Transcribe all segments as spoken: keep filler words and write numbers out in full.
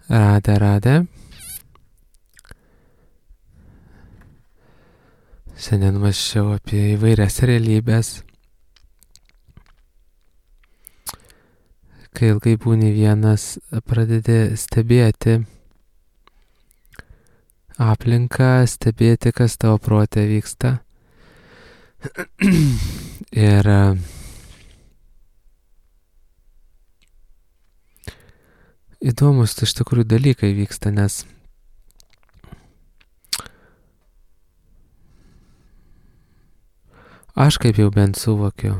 Radę, radę. Šiandien mąsčiau apie įvairias realybės. Kai ilgai būni vienas, pradedi stebėti aplinką, stebėti, kas tavo prote vyksta. Ir įdomus iš tikrųjų dalykai vyksta, nes aš kaip jau bent suvokiu,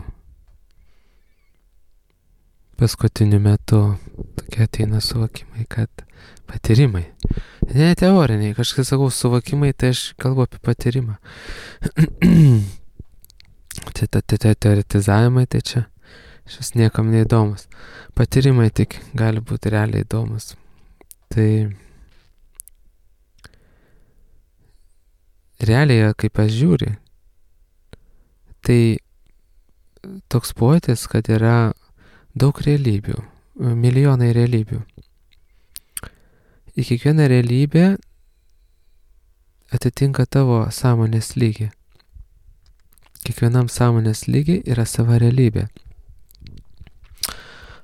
paskutiniu metu tokie ateina suvokimai, kad patyrimai, ne teoriniai, kažkai sakau suvokimai, tai aš kalbu apie patyrimą. Tai tie teoretizavimai, tai čia šis niekam neįdomus. Patyrimai tik gali būti realiai įdomus. Tai realiai, kaip aš žiūri, tai toks pojūtis, kad yra daug realybių, milijonai realybių. Į kiekvieną realybę atitinka tavo sąmonės lygį. Kiekvienam sąmonės lygiai yra sava realybė.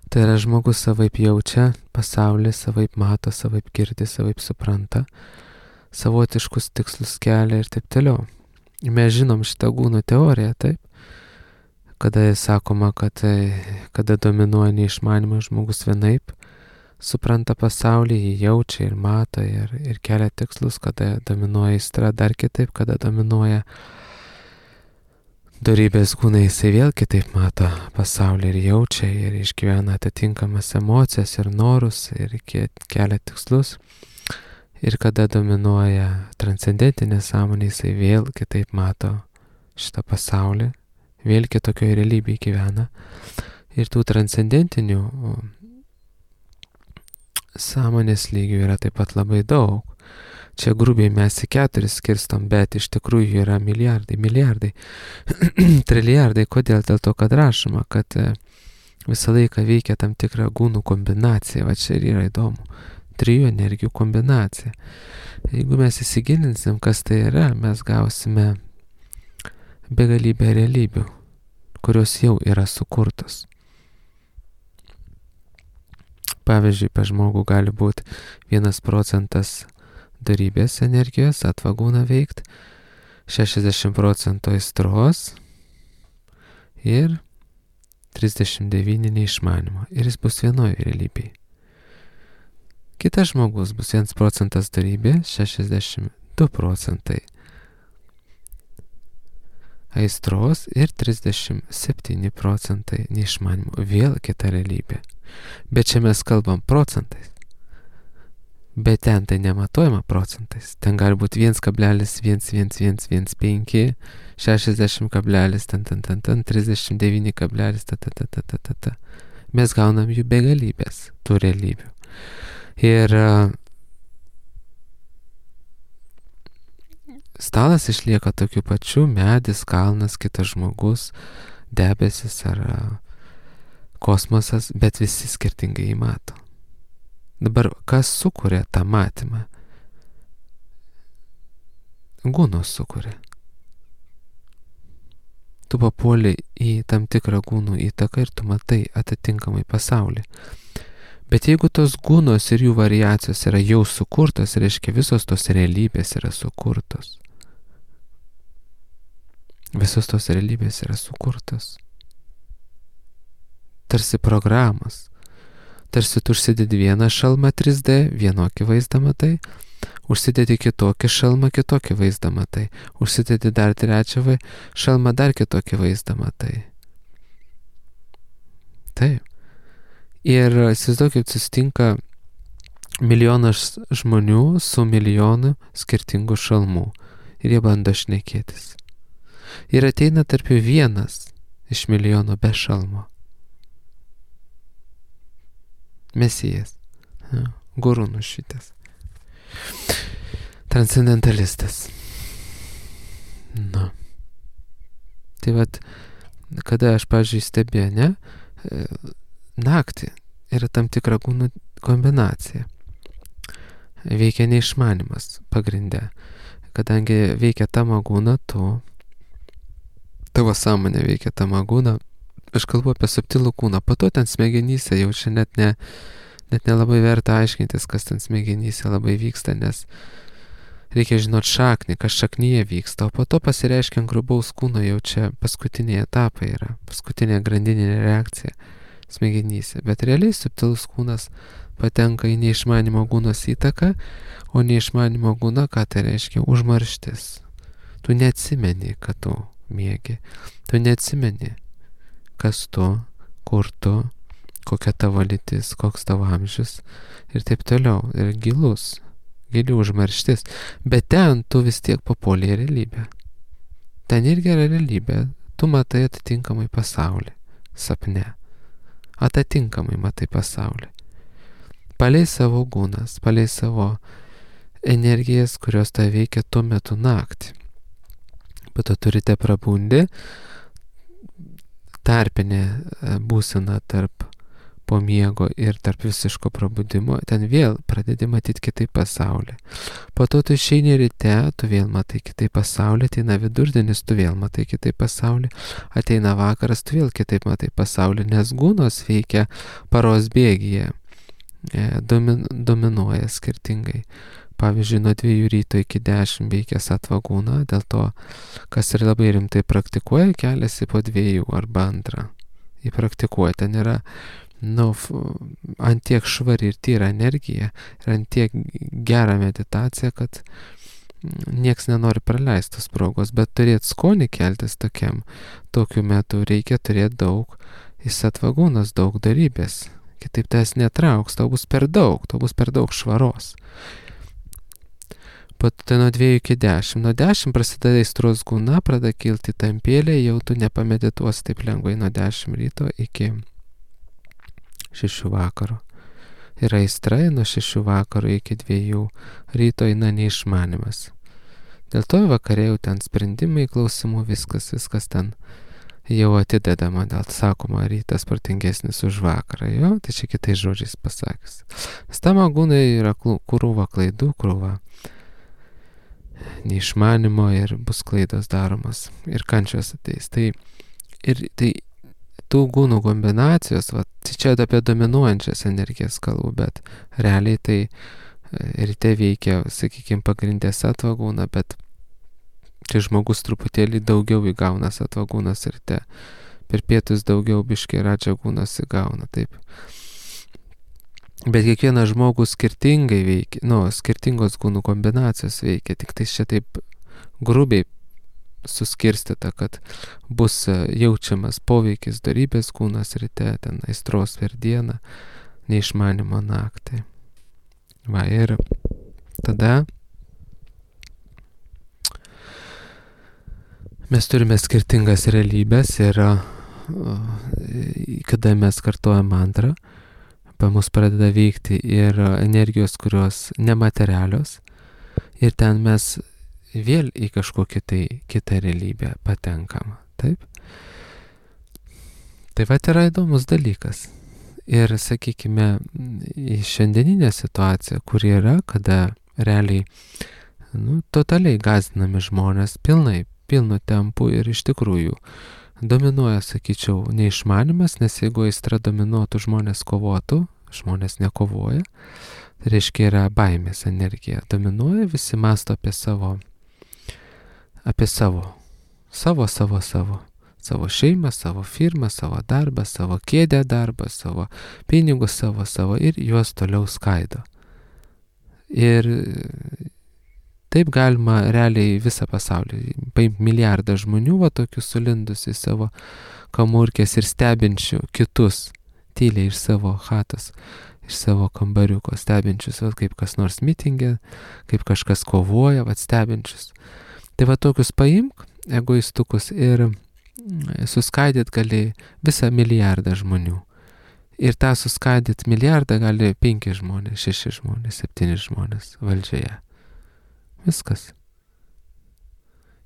Tai yra žmogus savaip jaučia pasaulį, savaip mato, savaip girdi, savaip supranta, savotiškus tikslus kelia ir taip toliau. Mes žinom šitą gūnų teoriją, taip? Kada sakoma, kad kada dominuoja neišmanymas, žmogus vienaip supranta pasaulį, jį jaučia ir mato ir, ir kelia tikslus, kada dominuoja aistra dar kitaip, kada dominuoja dorybės gūnai, jisai vėl kitaip mato pasaulį ir jaučia ir išgyvena atitinkamas emocijas ir norus ir kelia tikslus. Ir kada dominuoja transcendentinė sąmonė, jisai vėl kitaip mato šitą pasaulį, vėl kitokioje realybėje gyvena. Ir tų transcendentinių sąmonės lygių yra taip pat labai daug. Čia grubiai mes į keturis skirstom, bet iš tikrųjų yra milijardai, milijardai, trilijardai. Kodėl? Dėl to, kad rašoma, kad visą laiką veikia tam tikrą gūnų kombinaciją. Va čia ir yra įdomu. Trijų energijų kombinacija. Jeigu mes įsigilinsim, kas tai yra, mes gausime begalybę realybių, kurios jau yra sukurtos. Pavyzdžiui, pas žmogų gali būti vienas procentas dorybės energijos, atvagūna veikt, šešiasdešimt procentų aistros ir trisdešimt devyni neišmanimo. Ir jis bus vienoje realybėje. Kitas žmogus bus vienas procentas dorybė, šešiasdešimt du procentai aistros ir trisdešimt septyni procentai neišmanimo. Vėl kita realybė. Bet čia mes kalbam procentais. Bet ten tai nematuojama procentais. Ten gali būti vienas kablelis vienas vienas vienas vienas penki, šešiasdešimt kablelis ten ten ten ten, trisdešimt devyni kablelis ta ta ta ta ta ta ta. Mes gaunam jų begalybės, tų realybių. Ir stalas išlieka tokiu pačiu, medis, kalnas, kitas žmogus, debesis ar kosmosas, bet visi skirtingai jį mato. Dabar, kas sukuria tą matymą? Gūnos sukuria. Tu papuoli į tam tikrą gūnų įtaką ir tu matai atitinkamai pasaulį. Bet jeigu tos gūnos ir jų variacijos yra jau sukurtos, reiškia visos tos realybės yra sukurtos. Visos tos realybės yra sukurtos. Tarsi programos. Tarsi tu užsidedi vieną šalmą trys D, vienokį vaizdą matai, užsidedi kitokį šalmą, kitokį vaizdą matai, užsidedi dar trečią šalmą, dar kitokį vaizdą matai. Taip. Ir įsivaizduokit, susitinka milijonas žmonių su milijonu skirtingų šalmų ir jie bando šnekėtis. Ir ateina tarp jų vienas iš milijono be šalmo. Mesijas, ja, guru nušvitęs, transcendentalistas. Na. Tai vat, kada aš, pavyzdžiui, stebėjau, ne, naktį yra tam tikra gūnų kombinacija. veikia neišmanimas pagrinde. Kadangi veikia tamagūna, tu, tavo sąmonė veikia tamagūna, aš kalbu apie subtilų kūną, po to ten smegenyse jau čia net, ne, net nelabai verta aiškintis, kas ten smegenyse labai vyksta, nes reikia žinot šaknį, kas šaknyje vyksta, o po to pasireiškia grubaus kūno, jau čia paskutiniai etapai yra, paskutinė grandininė reakcija smegenyse, bet realiai subtilus kūnas patenka į neišmanimo gūnos įtaką, o neišmanimo gūna, ką tai reiškia? Užmarštis. Tu neatsimeni, kad tu miegi. Tu neatsimeni, kas tu, kur tu, kokia tavo lytis, koks tavo amžius ir taip toliau. Ir gilus, gili užmarštis. Bet ten tu vis tiek papuoli į realybę. Ten irgi yra realybė. Tu matai atitinkamai pasaulį. Sapne. Atitinkamai matai pasaulį. Palei savo gūnas, palei savo energijas, kurios tai veikia tuo metu naktį. Bet to turite prabundi, tarpinė būsena tarp po miego ir tarp visiško prabudimo, ten vėl pradedi matyti kitaip pasaulį. Po to tu išeini ryte, tu vėl matai kitaip pasaulį, ateina vidurdienis, tu vėl matai kitaip pasaulį, ateina vakaras, tu vėl kitaip matai pasaulį, nes gūnos veikia paros bėgyje. Domin, dominuoja skirtingai. Pavyzdžiui, nuo dviejų ryto iki dešimt veikia satvagūna, dėl to, kas ir labai rimtai praktikuoja, keliasi po dviejų arba antrą. Jį praktikuoja, ten yra nu, antiek švari ir tyra energija, ir antiek gera meditacija, kad nieks nenori praleistos progos, bet turėti skonį keltis tokiam, tokiu metu reikia turėti daug, į satvagūnas daug darybės. Kitaip tas netrauks, tau bus per daug, tau bus per daug švaros. Po tai nuo dviejų iki dešimt. Nuo dešimt prasideda aistros gūna, pradeda kilti tampėlė, jau tu nepamedituosi taip lengvai nuo dešimt ryto iki šešių vakaro. Ir aistra nuo šešių vakaro iki dviejų ryto eina neišmanimas. Dėl to vakarė jau ten sprendimai, klausimų, viskas, viskas ten jau atidedama, dėl sakoma, rytas protingesnis už vakarą, jo, tai čia kitais žodžiais pasakius. Nes tamagūnai yra krūva klaidų, krūva neišmanimo ir bus klaidos daromas ir kančios ateis. Tai, ir, tai tų gūnų kombinacijos, va, čia apie dominuojančias energijas kalbu, bet realiai tai ryte veikia, sakykime, pagrindės satvagūna, bet čia žmogus truputėlį daugiau įgauna satvagūnas ryte. Per pietus daugiau biškai radžagūnas įgauna, taip. Bet kiekvienas žmogus skirtingai veikia, nu, skirtingos gūnų kombinacijos veikia, tik tai čia taip grubiai suskirstyta, kad bus jaučiamas poveikis dorybės kūnas ryte, ten aistros per dieną, neišmanimo naktį. Va, ir tada mes turime skirtingas realybės ir kada mes kartuojam mantrą, pa mus pradeda veikti ir energijos, kurios nematerialios, ir ten mes vėl į kažkokią tai kitą realybę patenkam. Taip? Tai va yra įdomus dalykas. Ir sakykime, į šiandieninę situaciją, kur yra, kada realiai nu, totaliai gąsdinami žmonės pilnai, pilnu tempu ir iš tikrųjų dominuoja, sakyčiau, neišmanimas, nes jeigu aistra dominuotų, žmonės kovotų, žmonės nekovoja, tai reiškia yra baimės energija. Dominuoja, visi mąsto apie savo, apie savo, savo, savo, savo, savo šeimą, savo firmą, savo darbą, savo kėdę darbą, savo pinigus, savo, savo ir juos toliau skaido. Ir taip galima realiai visą pasaulį, paimti milijardą žmonių, va tokių sulindus į savo kamurkės ir stebinčių kitus, tyliai iš savo chatos, iš savo kambariuko, stebinčius, va kaip kas nors mitingė, kaip kažkas kovoja, va stebinčius. Tai va tokius paimk, egoistukus, ir suskaidyt gali visą milijardą žmonių. Ir tą suskaidyt milijardą gali penki žmonės, šeši žmonės, septyni žmonės valdžioje. Viskas.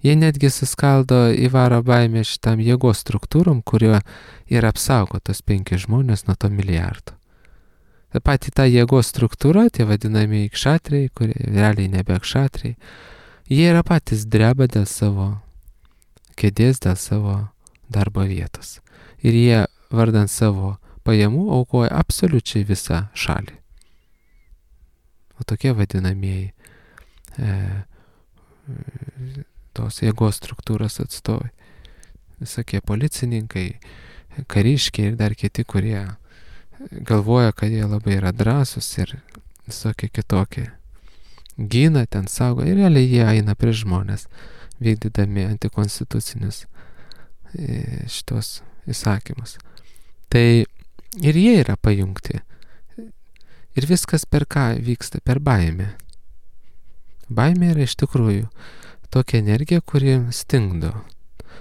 Jie netgi suskaldo įvaro baimę šitam jėgos struktūrom, kurio ir apsaugo tos penki žmonės nuo to milijardo. Ta pati ta jėgos struktūra, tie vadinami kšatriai, kurie realiai nebe kšatriai, jie yra patys dreba dėl savo kėdės, dėl savo darbo vietos. Ir jie vardant savo pajamų aukoja absoliučiai visą šalį. O tokie vadinamieji e, tos jėgos struktūros atstovai. Visokie policininkai, kariškiai ir dar kiti, kurie galvoja, kad jie labai yra drąsūs ir visokie kitokie. Gina, ten saugo ir realiai jie eina prieš žmonės, vykdydami antikonstitucinius šitos įsakymus. Tai ir jie yra pajungti. Ir viskas per ką vyksta? Per baimę. Baimė yra iš tikrųjų tokia energija, kuri stingdo.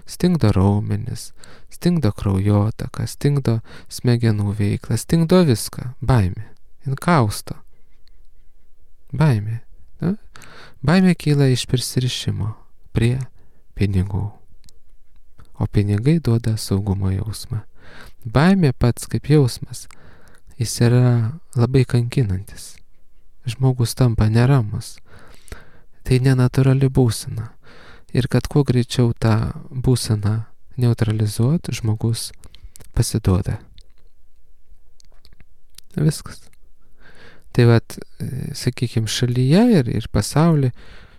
Stingdo raumenis, stingdo kraujotaką, stingdo smegenų veiklą, stingdo viską. Baimė. Jin kausto. Baimė. Na? Baimė kyla iš prisirišimo prie pinigų. O pinigai duoda saugumo jausmą. Baimė pats kaip jausmas, jis yra labai kankinantis. Žmogus tampa neramus. Tai nenatūrali būsena. Ir kad kuo greičiau tą būseną neutralizuoti, žmogus pasiduoda. Viskas. Tai vat, sakykime, šalyje ir, ir pasaulyje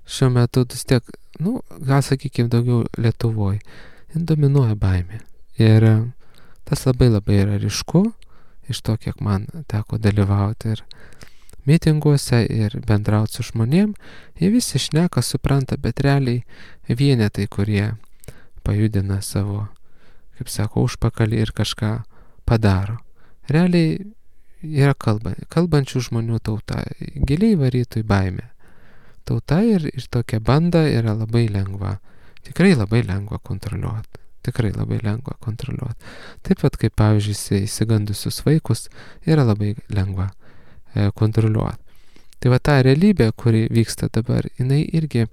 šiuo metu vis tiek, nu, gal sakykime daugiau Lietuvoje, dominuoja baimė. Ir tas labai labai yra ryšku, iš to, kiek man teko dalyvauti ir mitinguose ir bendrauti su žmonėm, jie visi šneka, supranta, bet realiai vienetai, kurie pajudina savo, kaip sako, užpakalį ir kažką padaro. Realiai yra kalba, kalbančių žmonių tauta, giliai varytų į baimę. Tauta ir, ir tokia banda yra labai lengva, tikrai labai lengva kontroliuoti. Tikrai labai lengva kontroliuoti. Taip pat kaip, pavyzdžiui, įsigandusius vaikus yra labai lengva kontroliuoti. Tai va ta realybė, kuri vyksta dabar, jinai irgi,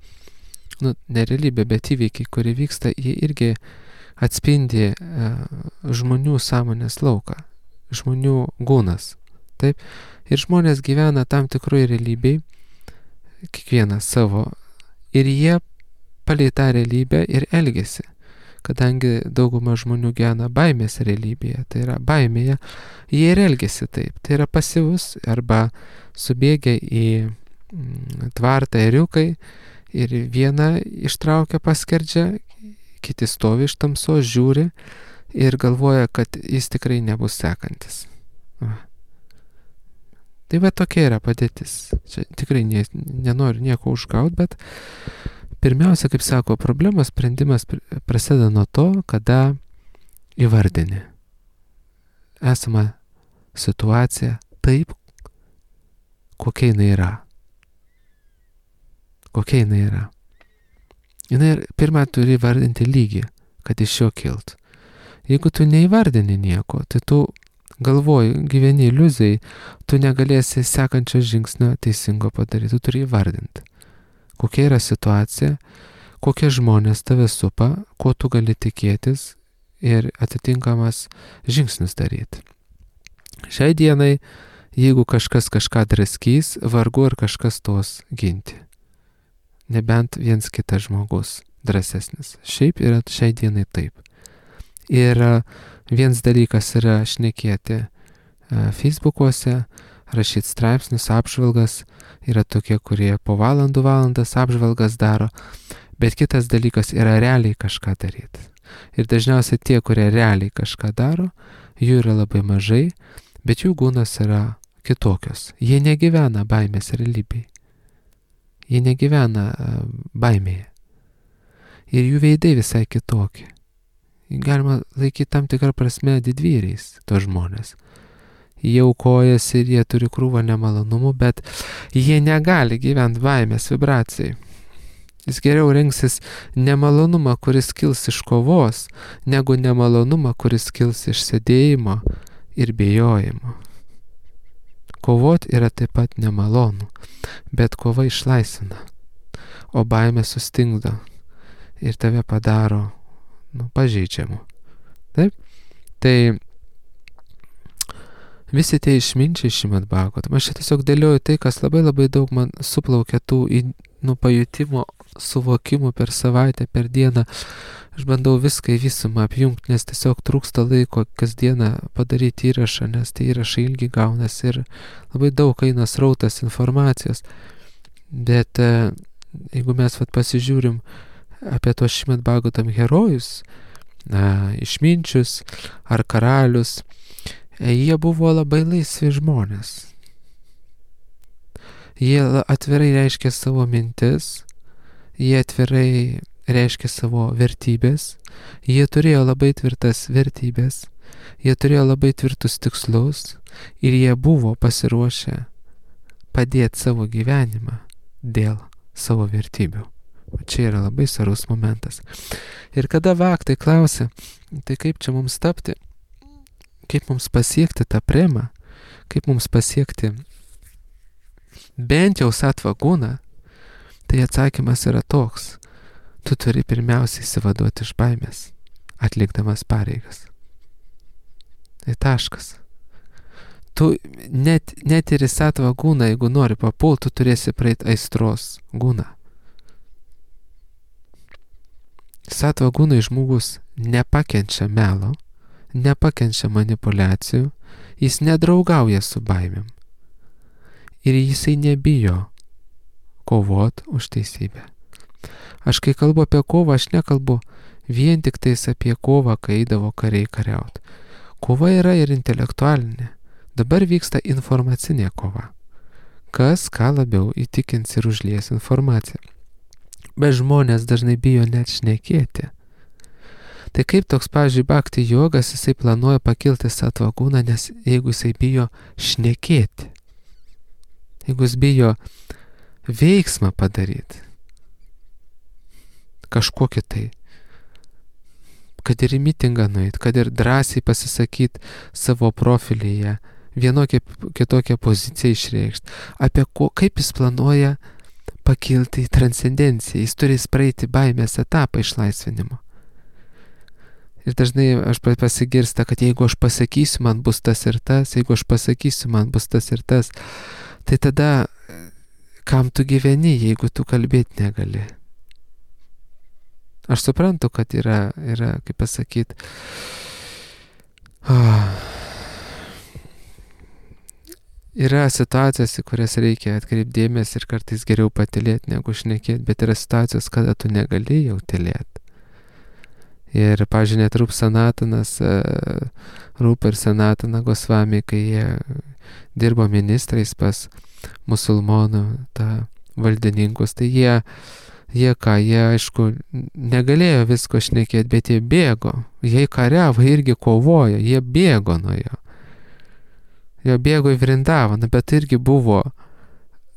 nu, ne realybė, bet įvykiai, kuri vyksta, jie irgi atspindi e, žmonių sąmonės lauką, žmonių gūnas. Taip? Ir žmonės gyvena tam tikroje realybėje, kiekvienas savo, ir jie palei tą realybę ir elgiasi. Kadangi dauguma žmonių gyvena baimės realybėje, tai yra baimėje, jie ir elgiasi taip. Tai yra pasyvus arba subėgia į tvartą ėriukai ir vieną ištraukia paskerdžia, kiti stovi iš tamsos, žiūri ir galvoja, kad jis tikrai nebus sekantis. Va. Tai va tokia yra padėtis. Čia tikrai ne, nenoriu nieko užgauti, bet pirmiausia, kaip sako, problemos sprendimas prasideda nuo to, kada įvardini esamą situaciją taip, kokia jinai yra. Kokia jinai yra. Jinai pirmą turi įvardinti lygį, kad iš jo kilt. Jeigu tu neįvardini nieko, tai tu galvoji, gyveni iliuzijai, tu negalėsi sekančio žingsnio teisingo padaryti, tu turi įvardinti. Kokia yra situacija, kokie žmonės tave supa, ko tu gali tikėtis ir atitinkamas žingsnius daryti. Šiai dienai, jeigu kažkas kažką draskys, vargu ar kažkas tos ginti. Nebent viens kitas žmogus drąsesnis. Šiaip yra šiai dienai taip. Ir vienas dalykas yra šnekėti Facebookuose, rašyti straipsnius, apžvalgas, yra tokie, kurie po valandų valandas apžvalgas daro, bet kitas dalykas yra realiai kažką daryti. Ir dažniausiai tie, kurie realiai kažką daro, jų yra labai mažai, bet jų gūnas yra kitokios. Jie negyvena baimės realybėje. Jie negyvena baimėje. Ir jų veidai visai kitokie. Galima laikyti tam tikrą prasme didvyriais tos žmonės. Jie aukojasi ir jie turi krūvą nemalonumų, bet jie negali gyventi baimės vibracijai. Jis geriau rinksis nemalonumą, kuris kils iš kovos, negu nemalonumą, kuris kils iš sėdėjimo ir bijojimo. Kovot yra taip pat nemalonu, bet kova išlaisvina, o baimė sustingdo ir tave padaro, nu, pažeidžiamu. Taip? Tai Visi tie išminčiai Šrimad Bhagavatam. Aš čia tiesiog dėlioju tai, kas labai labai daug man suplaukia tų nu, pajutimo, suvokimų per savaitę, per dieną. Aš bandau viską į visumą apjungti, nes tiesiog trūksta laiko kasdieną padaryti įrašą, nes tie įrašai ilgi gaunasi ir labai daug eina srautas informacijos. Bet jeigu mes vat, pasižiūrim apie tos Šrimad Bhagavatam herojus, na, išminčius ar karalius, jie buvo labai laisvi žmonės. Jie atvirai reiškė savo mintis, jie atvirai reiškė savo vertybės, jie turėjo labai tvirtas vertybės, jie turėjo labai tvirtus tikslus ir jie buvo pasiruošę padėti savo gyvenimą dėl savo vertybių. O čia yra labai svarbus momentas. Ir kada vaktai klausia, tai kaip čia mums tapti, kaip mums pasiekti tą premą, kaip mums pasiekti bent jau sattva guną, tai atsakymas yra toks. Tu turi pirmiausiai išsivaduoti iš baimės, atlikdamas pareigas. Tai taškas. Tu net, net ir į sattva guną, jeigu nori papult, tu turėsi praeiti aistros guną. Sattva gunai žmogus nepakenčia melo, nepakenčia manipulacijų, jis nedraugauja su baimėm. Ir jisai nebijo kovot už teisybę. Aš kai kalbu apie kovą, aš nekalbu vien tik tais apie kovą, kai eidavo kariai kariaut. Kova yra ir intelektualinė. Dabar vyksta informacinė kova. Kas ką labiau įtikins ir užlies informaciją. Bet žmonės dažnai bijo net šnekėti. Tai kaip toks, pavyzdžiui, bhakti jogas, jisai planuoja pakilti sattva guną, nes jeigu jisai bijo šnekėti, jeigu jis bijo veiksmą padaryti, kažkokį tai, kad ir į mitingą nueit, kad ir drąsiai pasisakyti savo profilyje, vienokią kitokią poziciją išreikšti, apie ko, kaip jis planuoja pakilti į transcendenciją, jis turi praeiti baimės etapą išlaisvinimo. Ir dažnai aš pasigirsta, kad jeigu aš pasakysiu, man bus tas ir tas, jeigu aš pasakysiu, man bus tas ir tas, tai tada kam tu gyveni, jeigu tu kalbėti negali? Aš suprantu, kad yra, yra kaip pasakyti, oh, yra situacijos, į kurias reikia atkreipdėmės ir kartais geriau patylėti negu šnekėti, bet yra situacijos, kada tu negali jau tylėti. Ir, pavyzdžiui, net Rūp Sanatanas, Rūp ir Sanatana Gosvami, kai jie dirbo ministrais pas musulmonų tą valdininkus, tai jie, jie ką, jie aišku negalėjo visko šnekėti, bet jie bėgo, jie kariavo, irgi kovojo, jie bėgo nuo jo. Jie bėgo į Vrindavaną, bet irgi buvo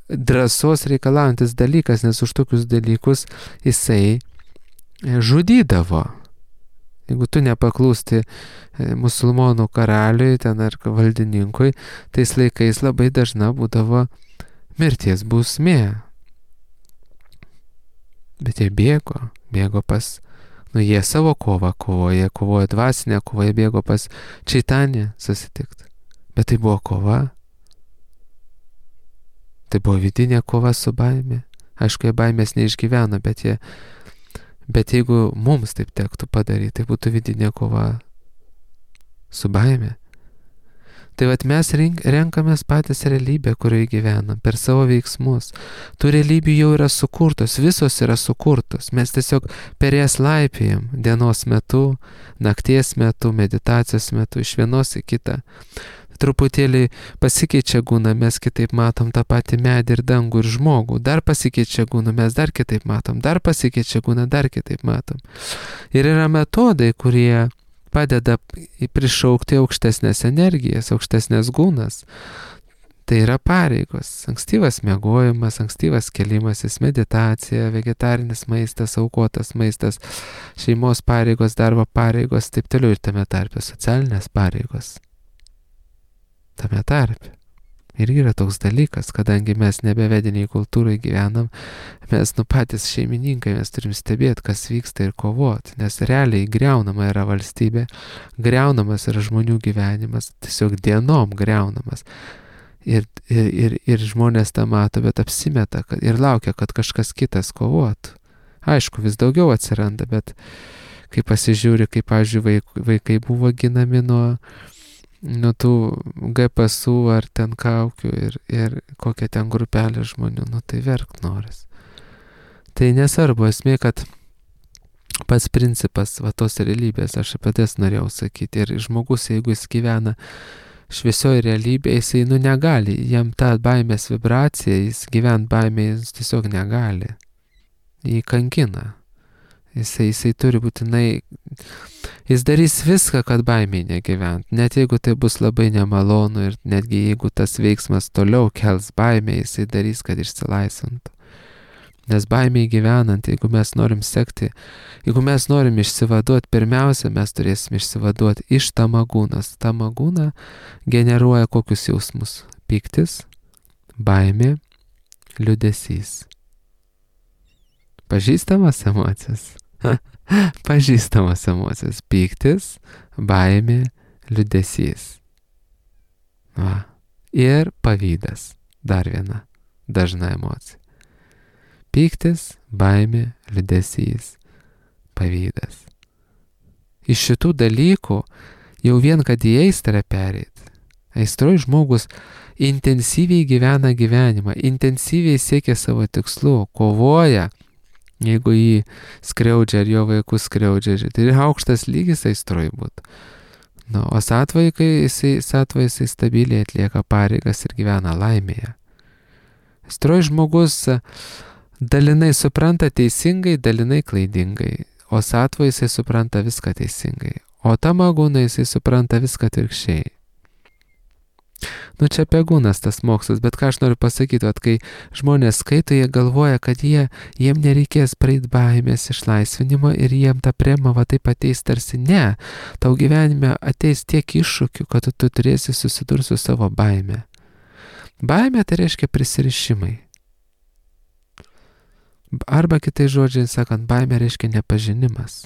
drąsos reikalaujantis dalykas, nes už tokius dalykus jisai žudydavo. Jeigu tu nepaklūsti musulmonų karaliui ten ar valdininkui, tais laikais labai dažna būdavo mirties bausmė. Bet jie bėgo, bėgo pas, nu jie savo kovą kovoja, kovoja dvasinę kovą, jie bėgo pas Čaitanę susitikti. Bet tai buvo kova. Tai buvo vidinė kova su baimė. Aišku, jie baimės neišgyveno, bet jie Bet jeigu mums taip tektų padaryti, tai būtų vidinė kova su baime. Tai vat mes renkamės patys realybę, kurioje gyvenam, per savo veiksmus. Tų realybių jau yra sukurtos, visos yra sukurtos. Mes tiesiog per jas laipėjam dienos metu, nakties metu, meditacijos metu, iš vienos į kitą. Truputėlį pasikeičia guna, mes kitaip matom tą patį medį ir dangų ir žmogų. Dar pasikeičia guna, mes dar kitaip matom. Dar pasikeičia guna, dar kitaip matom. Ir yra metodai, kurie padeda prišaukti aukštesnės energijas, aukštesnės gunas. Tai yra pareigos. Ankstyvas miegojimas, ankstyvas kelimasis, meditacija, vegetarinis maistas, aukotas maistas, šeimos pareigos, darbo pareigos, taip toliau ir tame tarpe socialinės pareigos. Tame tarpe. Irgi yra toks dalykas, kadangi mes nebevediniai kultūrai gyvenam, mes nu patys šeimininkai, mes turim stebėti, kas vyksta ir kovoti, nes realiai greunama yra valstybė, greunamas yra žmonių gyvenimas, tiesiog dienom greunamas. Ir, ir, ir, ir žmonės tą mato, bet apsimeta kad, ir laukia, kad kažkas kitas kovotų. Aišku, vis daugiau atsiranda, bet kai pasižiūri, kaip, pavyzdžiui, vaikai, vaikai buvo ginami nuo nuo tų G P S U ar ten kaukių ir, ir kokia ten grupelė žmonių, nu tai verkt noris. Tai nesvarbu, esmė, kad pats principas va tos realybės, aš apie tai norėjau sakyti, ir žmogus, jeigu jis gyvena šviesioje realybėje, jisai nu negali, jam tą baimės vibraciją, jis gyvent baimėje, jis tiesiog negali, jį kankina. Jisai, jisai turi būtinai, jis darys viską, kad baimiai negyvent. Net jeigu tai bus labai nemalonu ir netgi jeigu tas veiksmas toliau kels baimę, jisai darys, kad išsilaisvintų. Nes baimiai gyvenant, jeigu mes norim sekti, jeigu mes norim išsivaduoti, pirmiausia, mes turėsim išsivaduoti iš tamagūnas. Tamagūna generuoja kokius jausmus? Pyktis, baimė, liūdesys. Pažįstamas emocijas? Pažįstamas emocijas. Pyktis, baimė, liūdesys. Va. Ir pavydas. Dar viena dažna emocija. Pyktis, baimė, liūdesys, pavydas. Iš šitų dalykų jau vien, kad į aistrą pereit. Aistroj žmogus intensyviai gyvena gyvenimą, intensyviai siekia savo tikslų, kovoja. Jeigu jį skriaudžia ar jo vaikus skriaudžia, tai ir aukštas lygis aistroj būtų. Nu, o satvaikai, jisai, satvai jisai stabiliai atlieka pareigas ir gyvena laimėje. Aistroj žmogus dalinai supranta teisingai, dalinai klaidingai, o satvai jisai supranta viską teisingai, o tamagūnai jisai supranta viską atvirkščiai. Nu čia pegūnas tas mokslas, bet ką aš noriu pasakyti, at kai žmonės skaito, jie galvoja, kad jie, jiem nereikės praeit baimės išlaisvinimo ir jiem ta prema va taip ateis tarsi ne. Tau gyvenime ateis tiek iššūkių, kad tu turėsi susidurti su savo baime. Baimė tai reiškia prisirišimai. Arba kitai žodžiai sakant, baimė reiškia nepažinimas.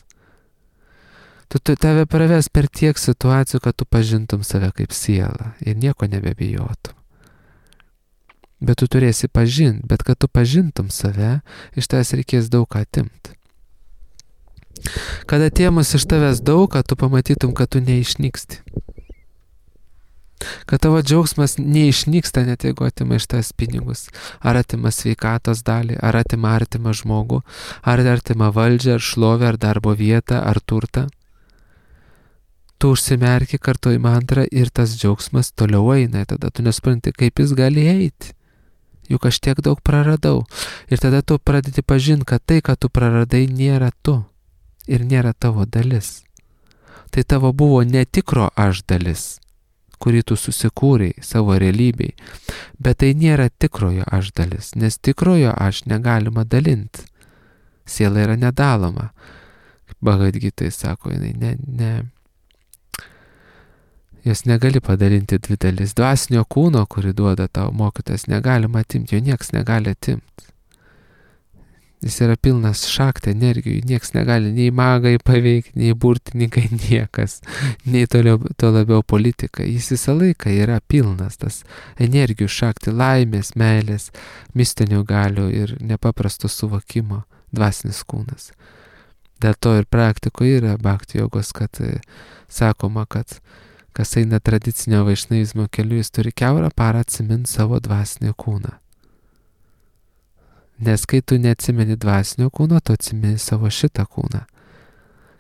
Tu, tu tave praves per tiek situacijų, kad tu pažintum save kaip sielą ir nieko nebebijotum. Bet tu turėsi pažinti, bet kad tu pažintum save, iš tavęs reikės daug ką atimti. Kad atėmus iš tavęs daug, kad tu pamatytum, kad tu neišnyksti. Kad tavo džiaugsmas neišnyksta, net jeigu atima iš tavęs pinigus, ar atima sveikatos dalį, ar atima artimą žmogų, ar artimą valdžią, ar šlovę, ar darbo vietą, ar turtą. Tu užsimerki, kartuoji mantrą ir tas džiaugsmas toliau eina, tada tu nesupranti, kaip jis gali eiti. Juk aš tiek daug praradau. Ir tada tu pradedi pažinti, kad tai, ką tu praradai, nėra tu ir nėra tavo dalis. Tai tavo buvo netikro aš dalis, kurį tu susikūrei savo realybėj, bet tai nėra tikrojo aš dalis, nes tikrojo aš negalima dalinti. Siela yra nedaloma. Bhagavad Gitai sako, jinai ne, ne, jos negali padalinti dvi dalis. Dvasinio kūno, kurį duoda tau mokytas, negalima atimti, jo nieks negali atimti. Jis yra pilnas šaktą energijų, nieks negali nei magai paveikti, nei burtininkai, niekas, nei toliau, to labiau politika. Jis visą laiką yra pilnas tas energijų šakti, laimės, meilės, mistinių galių ir nepaprasto suvokimo dvasinis kūnas. Dėl to ir praktikoje yra bhakti jogos, kad sakoma, kad kas eina tradicinio vaišnavizmo keliu, jis turi kiaurą parą atsiminti savo dvasinį kūną. Nes kai tu neatsimeni dvasinio kūno, tu atsimeni savo šitą kūną.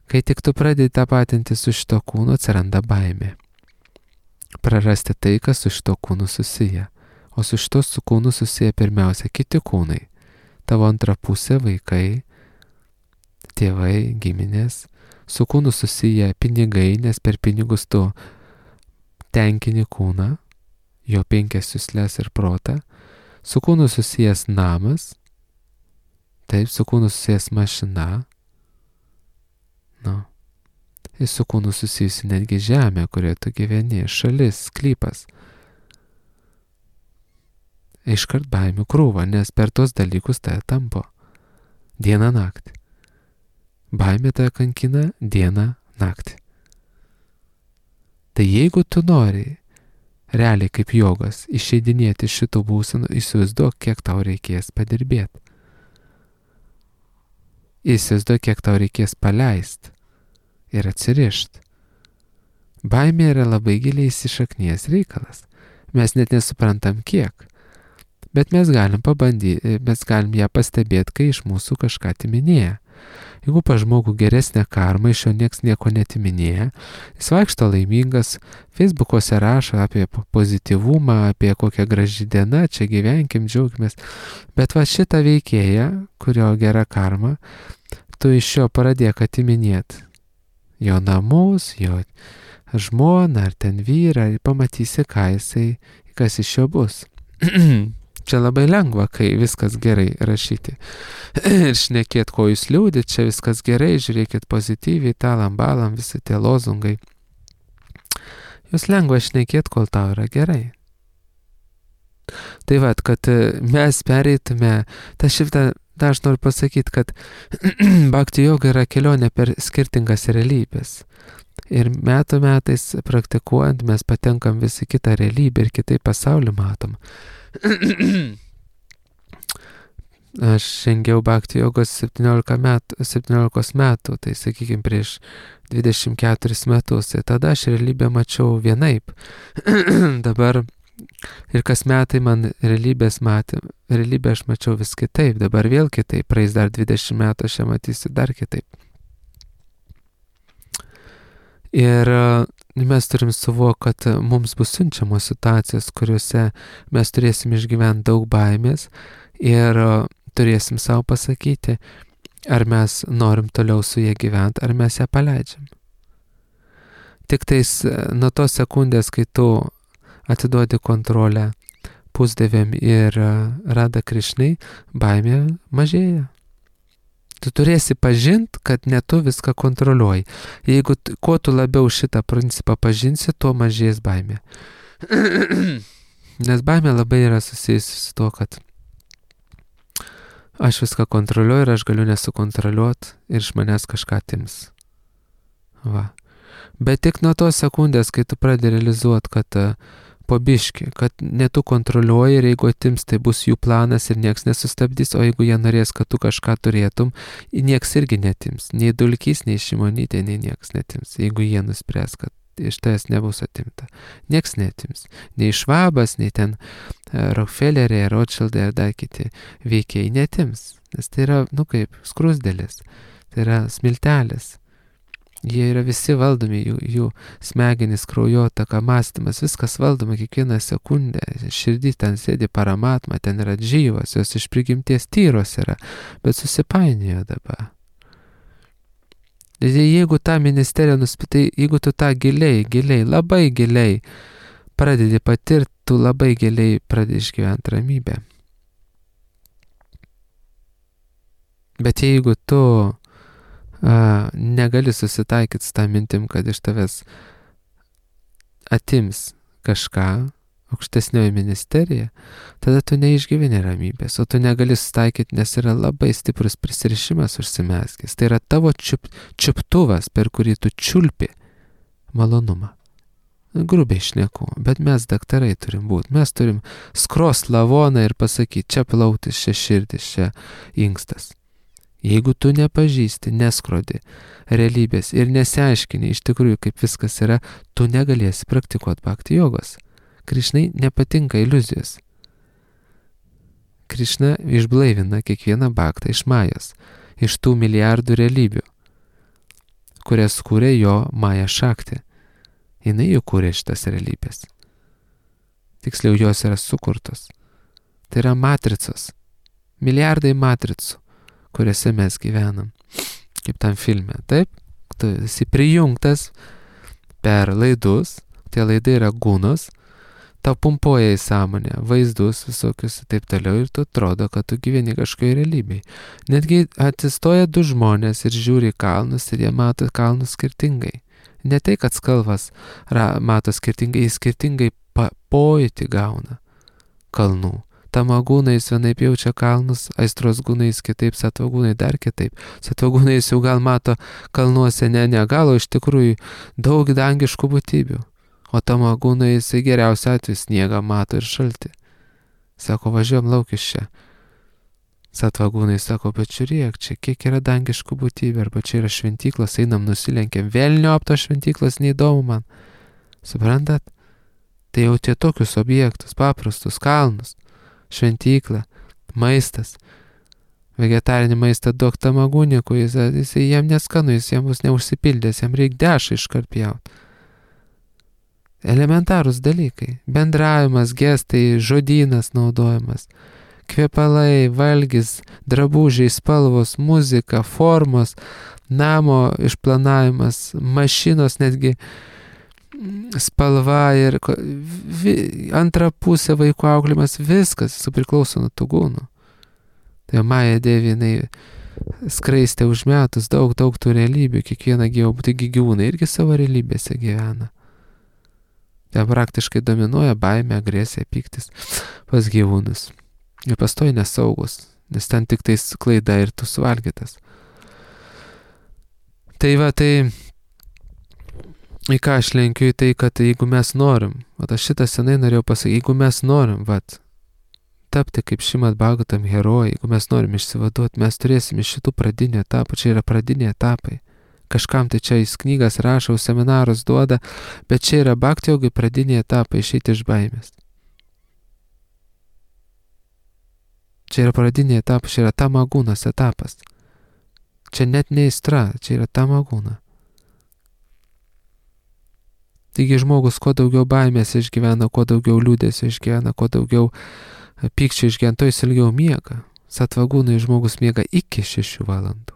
Kai tik tu pradedi tapatinti su šito kūnu, atsiranda baimė. Prarasti tai, kas su šito kūnu susiję. O su šito su kūnu susiję pirmiausia kiti kūnai. Tavo antra pusė, vaikai, tėvai, giminės. Su kūnu susiję pinigai, nes per pinigus tu tenkini kūną, jo penkias juslės ir protą. Su kūnu susijęs namas, taip, su kūnu susijęs mašina, nu, ir su kūnu susijusi netgi žemė, kurioje tu gyveni, šalis, sklypas. iškart baimių krūva, nes per tos dalykus tai tampo. Dieną naktį. Baimė tai kankina dieną naktį. Tai jeigu tu nori realiai kaip jogas išeidinėti šitų būsenų, įsivaizduok, kiek tau reikės padirbėti. Įsivaizduok, kiek tau reikės paleist ir atsirišt. Baimė yra labai giliai įsišaknijęs reikalas. Mes net nesuprantam kiek. Bet mes galim pabandyti, mes galim ją pastebėti, kai iš mūsų kažką atiminėja. Jeigu pa žmogų geresnė karma, iš jo nieks nieko netiminėja, jis vaikšto laimingas, Facebook'ose rašo apie pozityvumą, apie kokią graži diena, čia gyvenkim, džiaugimės. Bet va šitą veikėją, kurio gera karma, tu iš jo pradėk atiminėti jo namus, jo žmoną ar ten vyrą ir pamatysi, ką jisai, kas iš jo bus. Čia labai lengva, kai viskas gerai rašyti. Ir šnekėt, ko jūs liūdit, čia viskas gerai, žiūrėkit pozityviai, talam balam, visi tie lozungai. Jūs lengva šnekėt, kol tau yra gerai. Tai vat, kad mes pereitume, tą šitą, tą aš noriu pasakyti, kad bhakti joga yra kelionė per skirtingas realybės. Ir metų metais praktikuojant mes patenkam visi kitą realybę ir kitai pasaulį matom. Aš žengiau bhakti jogos septyniolika metų, septyniolikos metų, tai sakykime prieš dvidešimt keturis metus. Ir tada aš realybę mačiau vienaip. Dabar ir kas metai man realybės matė, realybę aš mačiau vis kitaip, dabar vėl kitaip, praeis dar dvidešimt metų, aš ją matysiu dar kitaip. Ir mes turim suvokti, kad mums bus siunčiamos situacijos, kuriuose mes turėsim išgyventi daug baimės ir turėsim savo pasakyti, ar mes norim toliau su jie gyventi, ar mes ją paleidžiam. Tik tais nuo tos sekundės, kai tu atiduodi kontrolę pusdieviam ir Radha Krishnai, baimė mažėja. Tu turėsi pažint, kad ne tu viską kontroliuoji. Jeigu kuo tu labiau šitą principą pažinsi, tuo mažės baimė. Nes baimė labai yra susijusi su tuo, kad aš viską kontroliuoju ir aš galiu nesukontroliuoti ir iš manęs kažką atims. Va. Bet tik nuo tos sekundės, kai tu pradedi realizuoti, kad po biškį, kad ne tu kontroliuoji ir jeigu atims, tai bus jų planas ir nieks nesustabdys, o jeigu jie norės, kad tu kažką turėtum, nieks irgi netims. Nei Dulkys, nei Šimonytė, nei nieks netims, jeigu jie nuspręs, kad iš tavęs nebus atimta. Nieks netims. Nei Švabas, nei ten Rockefellerė, Rothschildai ar dar kiti veikėjai netims. Nes tai yra, nu kaip, skrusdėlis. Tai yra smiltelis. Jie yra visi valdomi, jų, jų smegenys, kraujotaka, mąstymas, viskas valdoma kiekvieną sekundę. Širdį ten sėdi paramatma, ten yra džyvos, jos iš prigimties tyros yra, bet susipainiojo dabar. Jeigu tą ministeriją nuspitai, jeigu tu tą giliai, giliai, labai giliai pradedi patirti, tu labai giliai pradedi išgyventi ramybę. Bet jeigu tu A, negali susitaikyti su tą mintim, kad iš tavęs atims kažką, aukštesnioji ministerija, tada tu neišgyveni ramybės, o tu negali susitaikyti, nes yra labai stiprus prisirišimas užsimeskęs. Tai yra tavo čiup, čiuptuvas, per kurį tu čiulpi malonumą. Grubiai šneku, bet mes daktarai turim būti. Mes turim skrost lavoną ir pasakyti, čia plautis, čia širdis, čia inkstas. Jeigu tu nepažįsti, neskrodi realybės ir nesiaiškini iš tikrųjų, kaip viskas yra, tu negalėsi praktikuoti bhakti jogos. Krišnai nepatinka iliuzijos. Krišna išblaivina kiekvieną bhaktą iš majos, iš tų milijardų realybių, kurias kūrė jo maja šakti. Jinai jau kūrė šitas realybės. Tiksliau, jos yra sukurtos. Tai yra matricos. Milijardai matricų, kuriuose mes gyvenam, kaip tam filme, taip? Tu esi prijungtas per laidus, tie laidai yra gunos, tau pumpuoja į sąmonę, vaizdus visokius ir taip toliau, ir tu atrodo, kad tu gyveni kažkoje realybėje. Netgi atsistoja du žmonės ir žiūri kalnus ir jie mato kalnus skirtingai. Ne tai, kad skalvas ra, mato skirtingai, jis skirtingai pojūtį gauna kalnų. tamagūnais vienaip jaučia kalnus, aistros gūnais kitaip, satvagūnai dar kitaip. Satvagūnais jau gal mato kalnuose ne negalo, iš tikrųjų daug dangiškų būtybių. O tamagūnai jisai geriausia atveju sniegą mato ir šaltį. Sako, važiuojam lauk iš čia. Satvagūnai sako, bet žiūrėk, čia kiek yra dangiškų būtybių, arba čia yra šventyklos, einam nusilenkiam, vėlnio apto šventyklos neįdomu man. Suprantat? Tai jau tie tokius objektus, paprastus, kalnus, šventyklą, maistas, vegetarinį maistą duok tamagūnikui, jis, jis jam neskanu, jis jam bus neužsipildęs, jam reikia dešą iškarpjaut. Elementarūs dalykai, bendravimas, gestai, žodynas naudojimas, kvepalai, valgis, drabužiai, spalvos, muzika, formos, namo išplanavimas, mašinos netgi spalva ir vi, antra pusė vaikų auklėjimas, viskas priklauso nuo tų gūnų. Tai Maja Devi, jinai skraistė užmetus daug, daug tų realybių, kiekvieną gyvą, taigi gyvūnai irgi savo realybėse gyvena. Tai praktiškai dominuoja baimė, agresija, pyktis pas gyvūnus. Ir pastoji nesaugus, nes ten tik tais klaida ir tu suvalgytas. Tai va, tai į ką aš lenkiu į tai, kad jeigu mes norim, vat aš šitą senai norėjau pasakyti, jeigu mes norim, vat, tapti kaip Šrimad Bhagavatam herojai, jeigu mes norim išsivaduoti, mes turėsim iš šitų pradinių etapų, čia yra pradiniai etapai. Kažkam tai čia jis knygas rašo, seminarus duoda, bet čia yra bhakti jogai pradiniai etapai išeiti iš baimės. Čia yra pradiniai etapai, čia yra tamagūnas etapas. Čia net ne aistra, čia yra tamagūna. Taigi žmogus kuo daugiau baimės išgyvena, kuo daugiau liūdėsio išgyvena, kuo daugiau pykčio išgyvena, to jis ilgiau miega. Satvagūnai žmogus miega iki šešių valandų.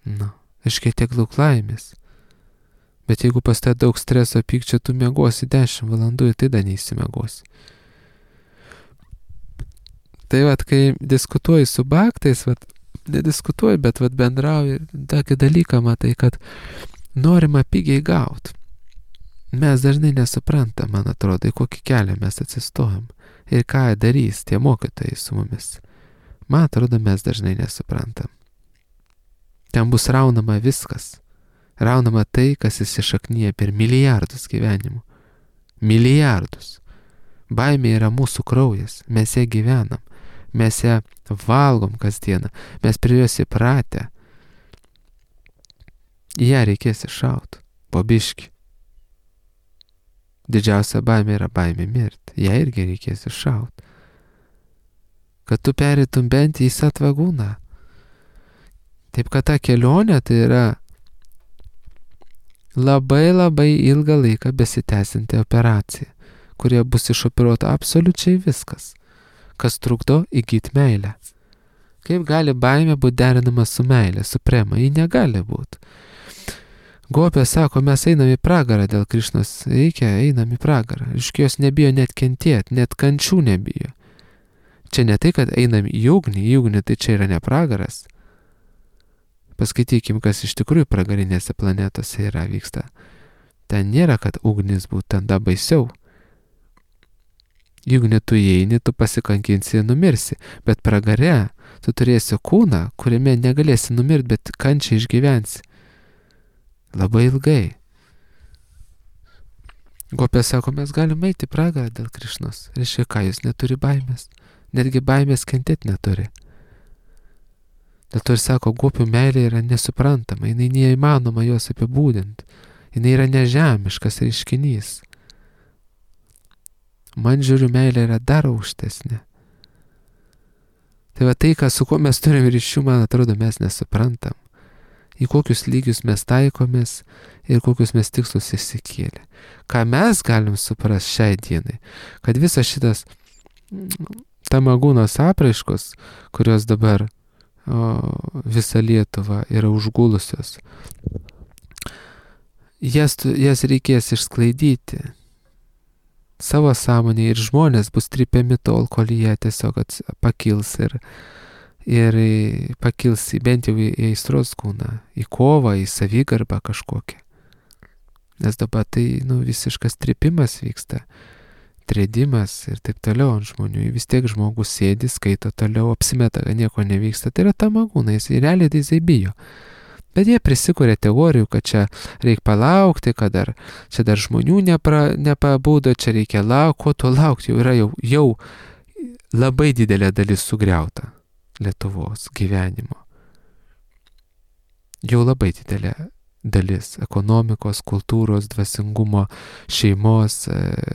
Na, iškai tiek daug laimės. Bet jeigu pas tai daug streso, pykčio, tu miegosi dešimt valandų ir tai dar neįsimiegosi. Tai vat, kai diskutuoji su bhaktais, vat, nediskutuoji, bet vat bendrauji, tokį dalyką matai, kad norima pigiai gauti. Mes dažnai nesuprantam, man atrodo, į kokį kelią mes atsistojam ir ką darys tie mokytojai su mumis. Man atrodo, mes dažnai nesuprantam. Ten bus raunama viskas. Raunama tai, kas įsišaknyja per milijardus gyvenimų. Milijardus. Baimė yra mūsų kraujas, mes ją gyvenam, mes ją valgom kasdieną, mes prie jos įpratę. Ją reikės iššaut, po biškį. Didžiausia baimė yra baimė mirti, ją irgi reikės iššaut. Kad tu pereitum bent į satvagūną. Taip kad ta kelionė tai yra labai labai ilgą laiką besitęsianti operacija, kurie bus išoperuota absoliučiai viskas, kas trukdo įgyti meilę. Kaip gali baimė būti derinama su meilė, su prema? Ji negali būti. Gopė sako, mes einam į pragarą dėl Krišnos, reikia, einam į pragarą. Iški jos nebijo net kentėti, net kančių nebijo. Čia ne tai, kad einam į ugnį, į ugnį tai čia yra ne pragaras. Paskaitykim, kas iš tikrųjų pragarinėse planetose yra vyksta. Ten nėra, kad ugnis būtų, ten da baisiau. Juk ne tu įeini, tu pasikankinsi ir numirsi, bet pragare tu turėsi kūną, kuriame negalėsi numirti, bet kančiai išgyvensi. Labai ilgai. Gopė sako, mes galime eiti pragarą dėl Krišnos. Reiškia, ką jūs neturi baimės. Netgi baimės kentėti neturi. Dėl to ir sako, gopių meilė yra nesuprantama, jinai neįmanoma jos apibūdinti. Jinai yra nežemiškas reiškinys. Man žiūriu, meilė yra dar aukštesnė. Tai va tai, ką, su kuo mes turime ryšių, man atrodo, mes nesuprantam. Į kokius lygius mes taikomės ir kokius mes tikslus išsikėlė. Ką mes galim suprasti šiai dienai, kad visas šitas tamagūnos apraiškos, kurios dabar o, visą Lietuvą yra užgulusios, jas, jas reikės išsklaidyti savo sąmonėje ir žmonės bus trypiami tol, kol jie tiesiog pakils ir ir pakils bent jau į aistros kūną, į kovą, į savigarbą kažkokią. Nes dabar tai nu, visiškas tripimas vyksta. trėdimas ir taip toliau ant žmonių. Vis tiek žmogus sėdi, skaito toliau, apsimeta, kad nieko nevyksta. Tai yra tamagūnai, jis realiai tai jisai bijo. Bet jie prisikuria teorijų, kad čia reikia palaukti, kad dar, čia dar žmonių nepra, nepabūdo, čia reikia laukti, ko to laukti, jau yra jau, jau labai didelė dalis sugriauta Lietuvos gyvenimo. Jau labai didelė dalis ekonomikos, kultūros, dvasingumo, šeimos,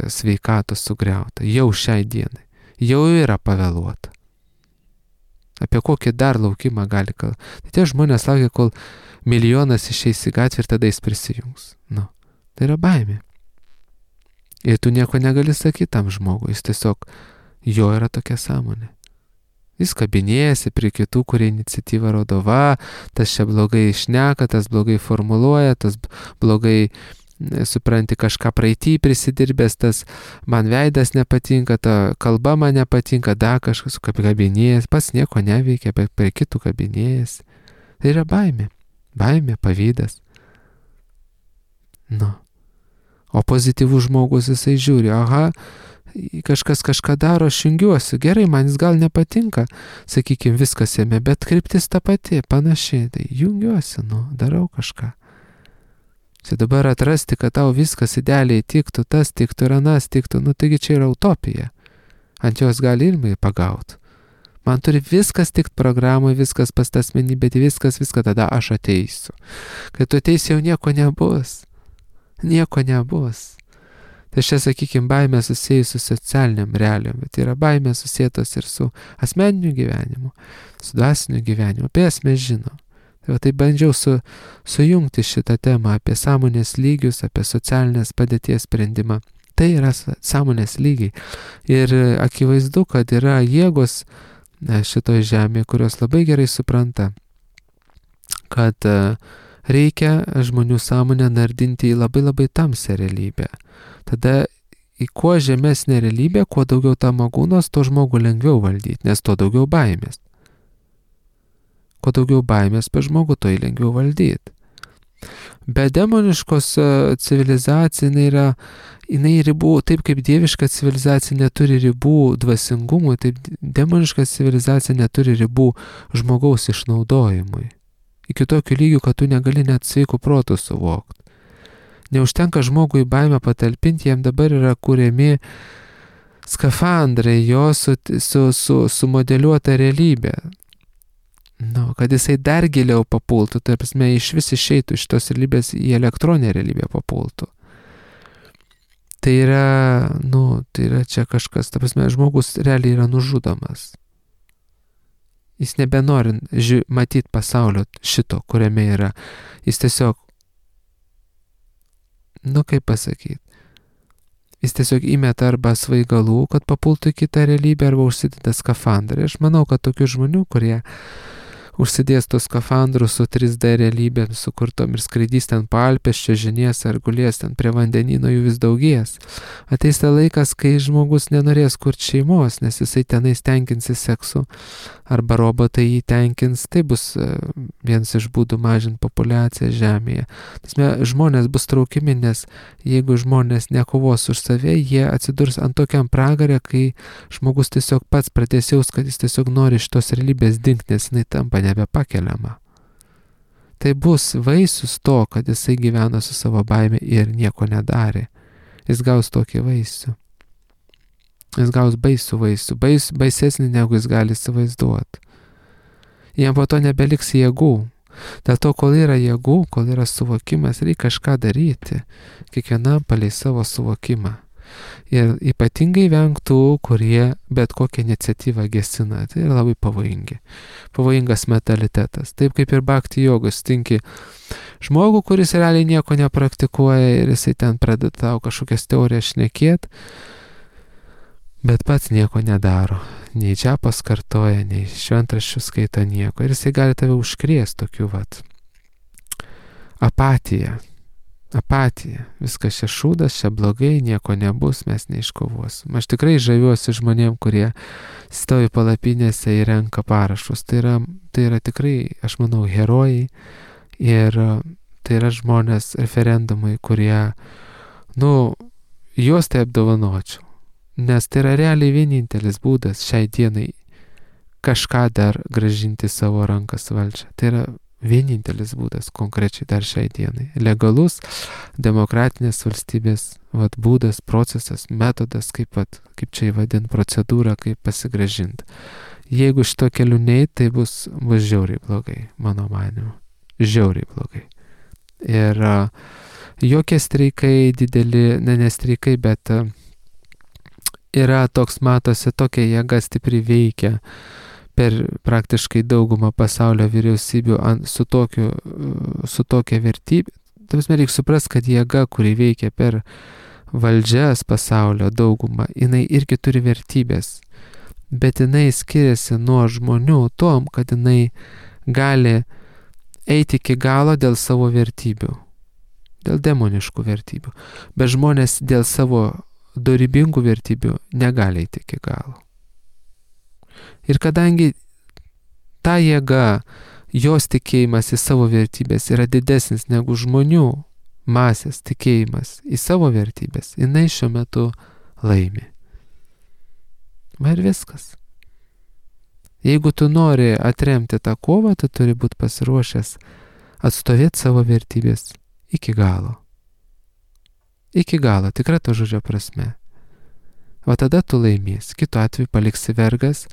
sveikatos sugriauta. Jau šiai dienai. Jau yra pavėluota. Apie kokį dar laukimą gali kalbėti. Tai tie žmonės laukia, kol milijonas išeis į gatvę ir tada jis prisijungs. Nu, tai yra baimė. Ir tu nieko negali sakyti tam žmogui. Jis tiesiog, jo yra tokia sąmonė. Jis kabinėjasi prie kitų, kurie iniciatyvą rodo, va, tas čia blogai šneka, tas blogai formuluoja, tas blogai, supranti, kažką praeitį prisidirbęs, tas man veidas nepatinka, ta kalba man nepatinka, da kažkas kabinėjasi, pats nieko neveikia, bet prie kitų kabinėjasi. Tai yra baimė. Baimė, pavydas. Nu. O pozityvus žmogus jisai žiūri, aha, kažkas kažką daro, aš jungiuosi, gerai, man jis gal nepatinka, sakykime, viskas jame, bet kryptis ta pati, panašiai, tai jungiuosi, nu, darau kažką. Čia dabar atrasti, kad tau viskas idealiai tiktų, tas tiktų ir anas tiktų, nu, taigi čia yra utopija. Ant jos gali ilmai pagauti. Man turi viskas tikt programai, viskas pas tą asmenybę, viskas, viską, tada aš ateisiu. Kai tu ateisi, jau nieko nebus. Nieko nebus. Tai čia, sakykime, baimė susijus su socialiniam realiam, bet yra baimė susijęs ir su asmeniniu gyvenimu, su dvasiniu gyvenimu. Apie jas mes žinom. Tai, va, tai bandžiau su, sujungti šitą temą apie sąmonės lygius, apie socialinės padėties sprendimą. Tai yra sąmonės lygiai. Ir akivaizdu, kad yra jėgos šitoje žemėje, kurios labai gerai supranta, kad reikia žmonių sąmonę nardinti į labai labai tamsią realybę. Tada į kuo žemesnę realybę, kuo daugiau tamagūnos, to žmogų lengviau valdyti, nes to daugiau baimės. Kuo daugiau baimės per žmogų, to jį lengviau valdyti. Bet demoniškos civilizacija jinai yra, jinai ribų, taip kaip dieviška civilizacija neturi ribų dvasingumui, taip demoniška civilizacija neturi ribų žmogaus išnaudojimui. Iki tokių lygių, kad tu negali net sveikų protų suvokti. Neužtenka žmogui baimę patalpinti, jam dabar yra kuriami skafandrai, jo su, su, su, sumodeliuota realybė. Nu, kad jisai dar giliau papultų, tai prasme, iš vis išeitų iš tos realybės į elektroninę realybę papultų. Tai yra, nu, tai yra čia kažkas, ta prasme, žmogus realiai yra nužudomas. Jis nebenori ži- matyti pasaulio šito, kuriame yra. Jis tiesiog, nu, kaip pasakyti, jis tiesiog įmeta arba svaigalų, kad papultų į kitą realybę, arba užsideda skafandrą. Aš manau, kad tokių žmonių, kurie užsidės tos skafandrus su trys D realybėm sukurtom ir skraidys ten po Alpes, čiuožinės ar gulės ten prie vandenyno, jų vis daugės. Ateis ta laikas, kai žmogus nenorės kurti šeimos, nes jisai tenais tenkinsis seksu, arba robotai jį tenkins. Tai bus vienas iš būdų mažinti populiaciją Žemėje. Tasme, žmonės bus traukiami, nes jeigu žmonės nekovos už save, jie atsidurs ant tokiam pragarė, kai žmogus tiesiog pats pradės jaus, kad jis tiesiog nori šitos realybės dingti, nes jinai tampa nebepakeliama. Tai bus vaisius to, kad jisai gyveno su savo baime ir nieko nedarė. Jis gaus tokį vaisių. Jis gaus baisų vaisių, bais, baisesnį negu jis gali įsivaizduoti. Jam po to nebeliks jėgų. Dėl to, kol yra jėgų, kol yra suvokimas, reikia kažką daryti. Kiekvienam palei savo suvokimą. Ir ypatingai vengtų, kurie bet kokią iniciatyvą gesina. Tai yra labai pavojingi. Pavojingas mentalitetas. Taip kaip ir bhakti jogos stinki žmogų, kuris realiai nieko nepraktikuoja ir jisai ten pradeda tau kažkokias teorijas šnekėt, bet pats nieko nedaro. Nei čia paskartoja, nei šventraščių skaito nieko. Ir jisai gali tave užkrėsti tokiu vat apatija. Apatija. Viskas čia šūdas, čia blogai, nieko nebus, mes neiškovosim. Aš tikrai žaviuosi žmonėm, kurie stovi palapinėse ir renka parašus. Tai yra, tai yra tikrai, aš manau, herojai. Ir tai yra žmonės referendumai, kurie, nu, juos tai apdovanočiau. nes tai yra realiai vienintelis būdas šiai dienai kažką dar gražinti savo rankas valdžią. Tai yra vienintelis būdas konkrečiai dar šiai dienai. Legalus demokratinės valstybės vat, būdas, procesas, metodas, kaip, vat, kaip čia įvadint, procedūra, kaip pasigražinti. Jeigu šito keliu neit, tai bus, bus žiauriai blogai, mano manimu. Žiauriai blogai. Ir uh, jokie streikai dideli, ne nestreikai, bet uh, yra toks, matosi, tokia jėga stipri veikia per praktiškai daugumą pasaulio vyriausybių ant, su, tokiu, su tokia vertybė. Tavas reikia suprast, kad jėga, kuri veikia per valdžias pasaulio daugumą, jinai irgi turi vertybės. Bet jinai skiriasi nuo žmonių tom, kad jinai gali eiti iki galo dėl savo vertybių. Dėl demoniškų vertybių. Bet žmonės dėl savo dorybingų vertybių negali eiti iki galo. Ir kadangi ta jėga, jos tikėjimas į savo vertybės yra didesnis negu žmonių masės tikėjimas į savo vertybės, jinai šiuo metu laimi. Va ir viskas. Jeigu tu nori atremti tą kovą, tu turi būti pasiruošęs atstovėti savo vertybės iki galo. Iki galo, tikra to žodžio prasme. O tada tu laimės. Kitu atveju paliksi vergas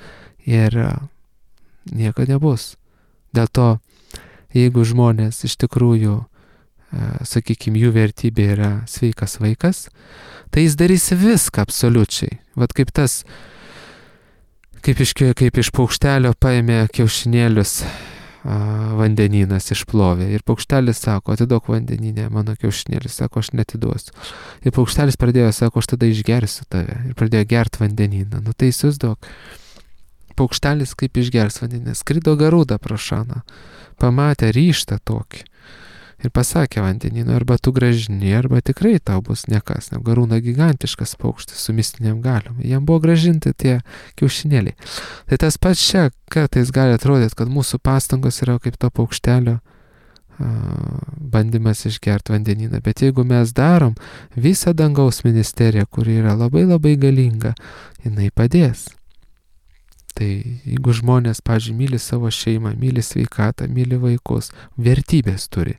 ir nieko nebus. Dėl to, jeigu žmonės iš tikrųjų, sakykime, jų vertybė yra sveikas vaikas, tai jis darys viską absoliučiai. Vat kaip tas, kaip iš, kaip iš paukštelio paėmė kiaušinėlius vandenynas išplovė. Ir paukštelis sako, atiduok vandeninę, mano kiaušinėlis, sako, aš netiduosiu. Ir paukštelis pradėjo, sako, aš tada išgersiu tave. Ir pradėjo gert vandenyną. Nu tai įsivaizduok. Paukštelis kaip išgers vandenyną. Skrido Garuda pro šaną. Pamatė ryžtą tokį. Ir pasakė vandenynui, arba tu gražini, arba tikrai tau bus nekas. Ne, Garūna gigantiškas paukštis su mistiniam galiom. Jam buvo gražinti tie kiaušinėliai. Tai tas pats čia kartais gali atrodyti, kad mūsų pastangos yra kaip to paukštelio a, bandymas išgerti vandenyną. Bet jeigu mes darom, visą dangaus ministeriją, kuri yra labai labai galinga, jinai padės. Tai jeigu žmonės, pavyzdžiui, myli savo šeimą, myli sveikatą, myli vaikus, vertybės turi.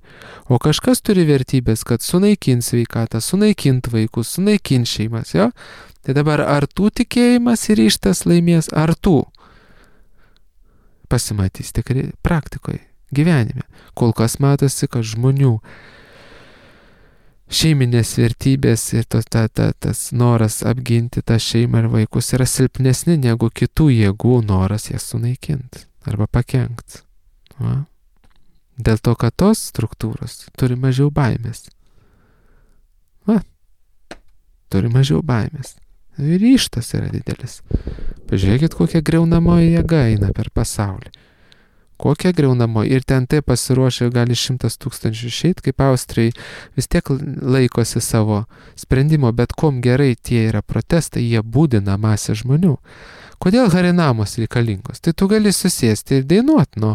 O kažkas turi vertybės, kad sunaikint sveikatą, sunaikint vaikus, sunaikint šeimas, jo? Tai dabar ar tų tikėjimas ir ryžtas laimės, ar tų pasimatys tikrai praktikoje, gyvenime. Kol kas matosi, kad žmonių šeiminės vertybės ir to, ta, ta, tas noras apginti tą šeimą ir vaikus yra silpnesni negu kitų jėgų noras jas sunaikinti arba pakenkti. Va? Dėl to, kad tos struktūros turi mažiau baimės. Va? Turi mažiau baimės. Ir ryžtas yra didelis. Pažiūrėkit, kokia griaunamoji jėga eina per pasaulį. Kokia griaunamo ir ten tai pasiruošę gali šimtas tūkstančių išeit, kaip Austrijai vis tiek laikosi savo sprendimo, bet kom gerai tie yra protestai, jie būdina masę žmonių. Kodėl harinamos reikalingos? Tai tu gali susėsti ir dainuoti nuo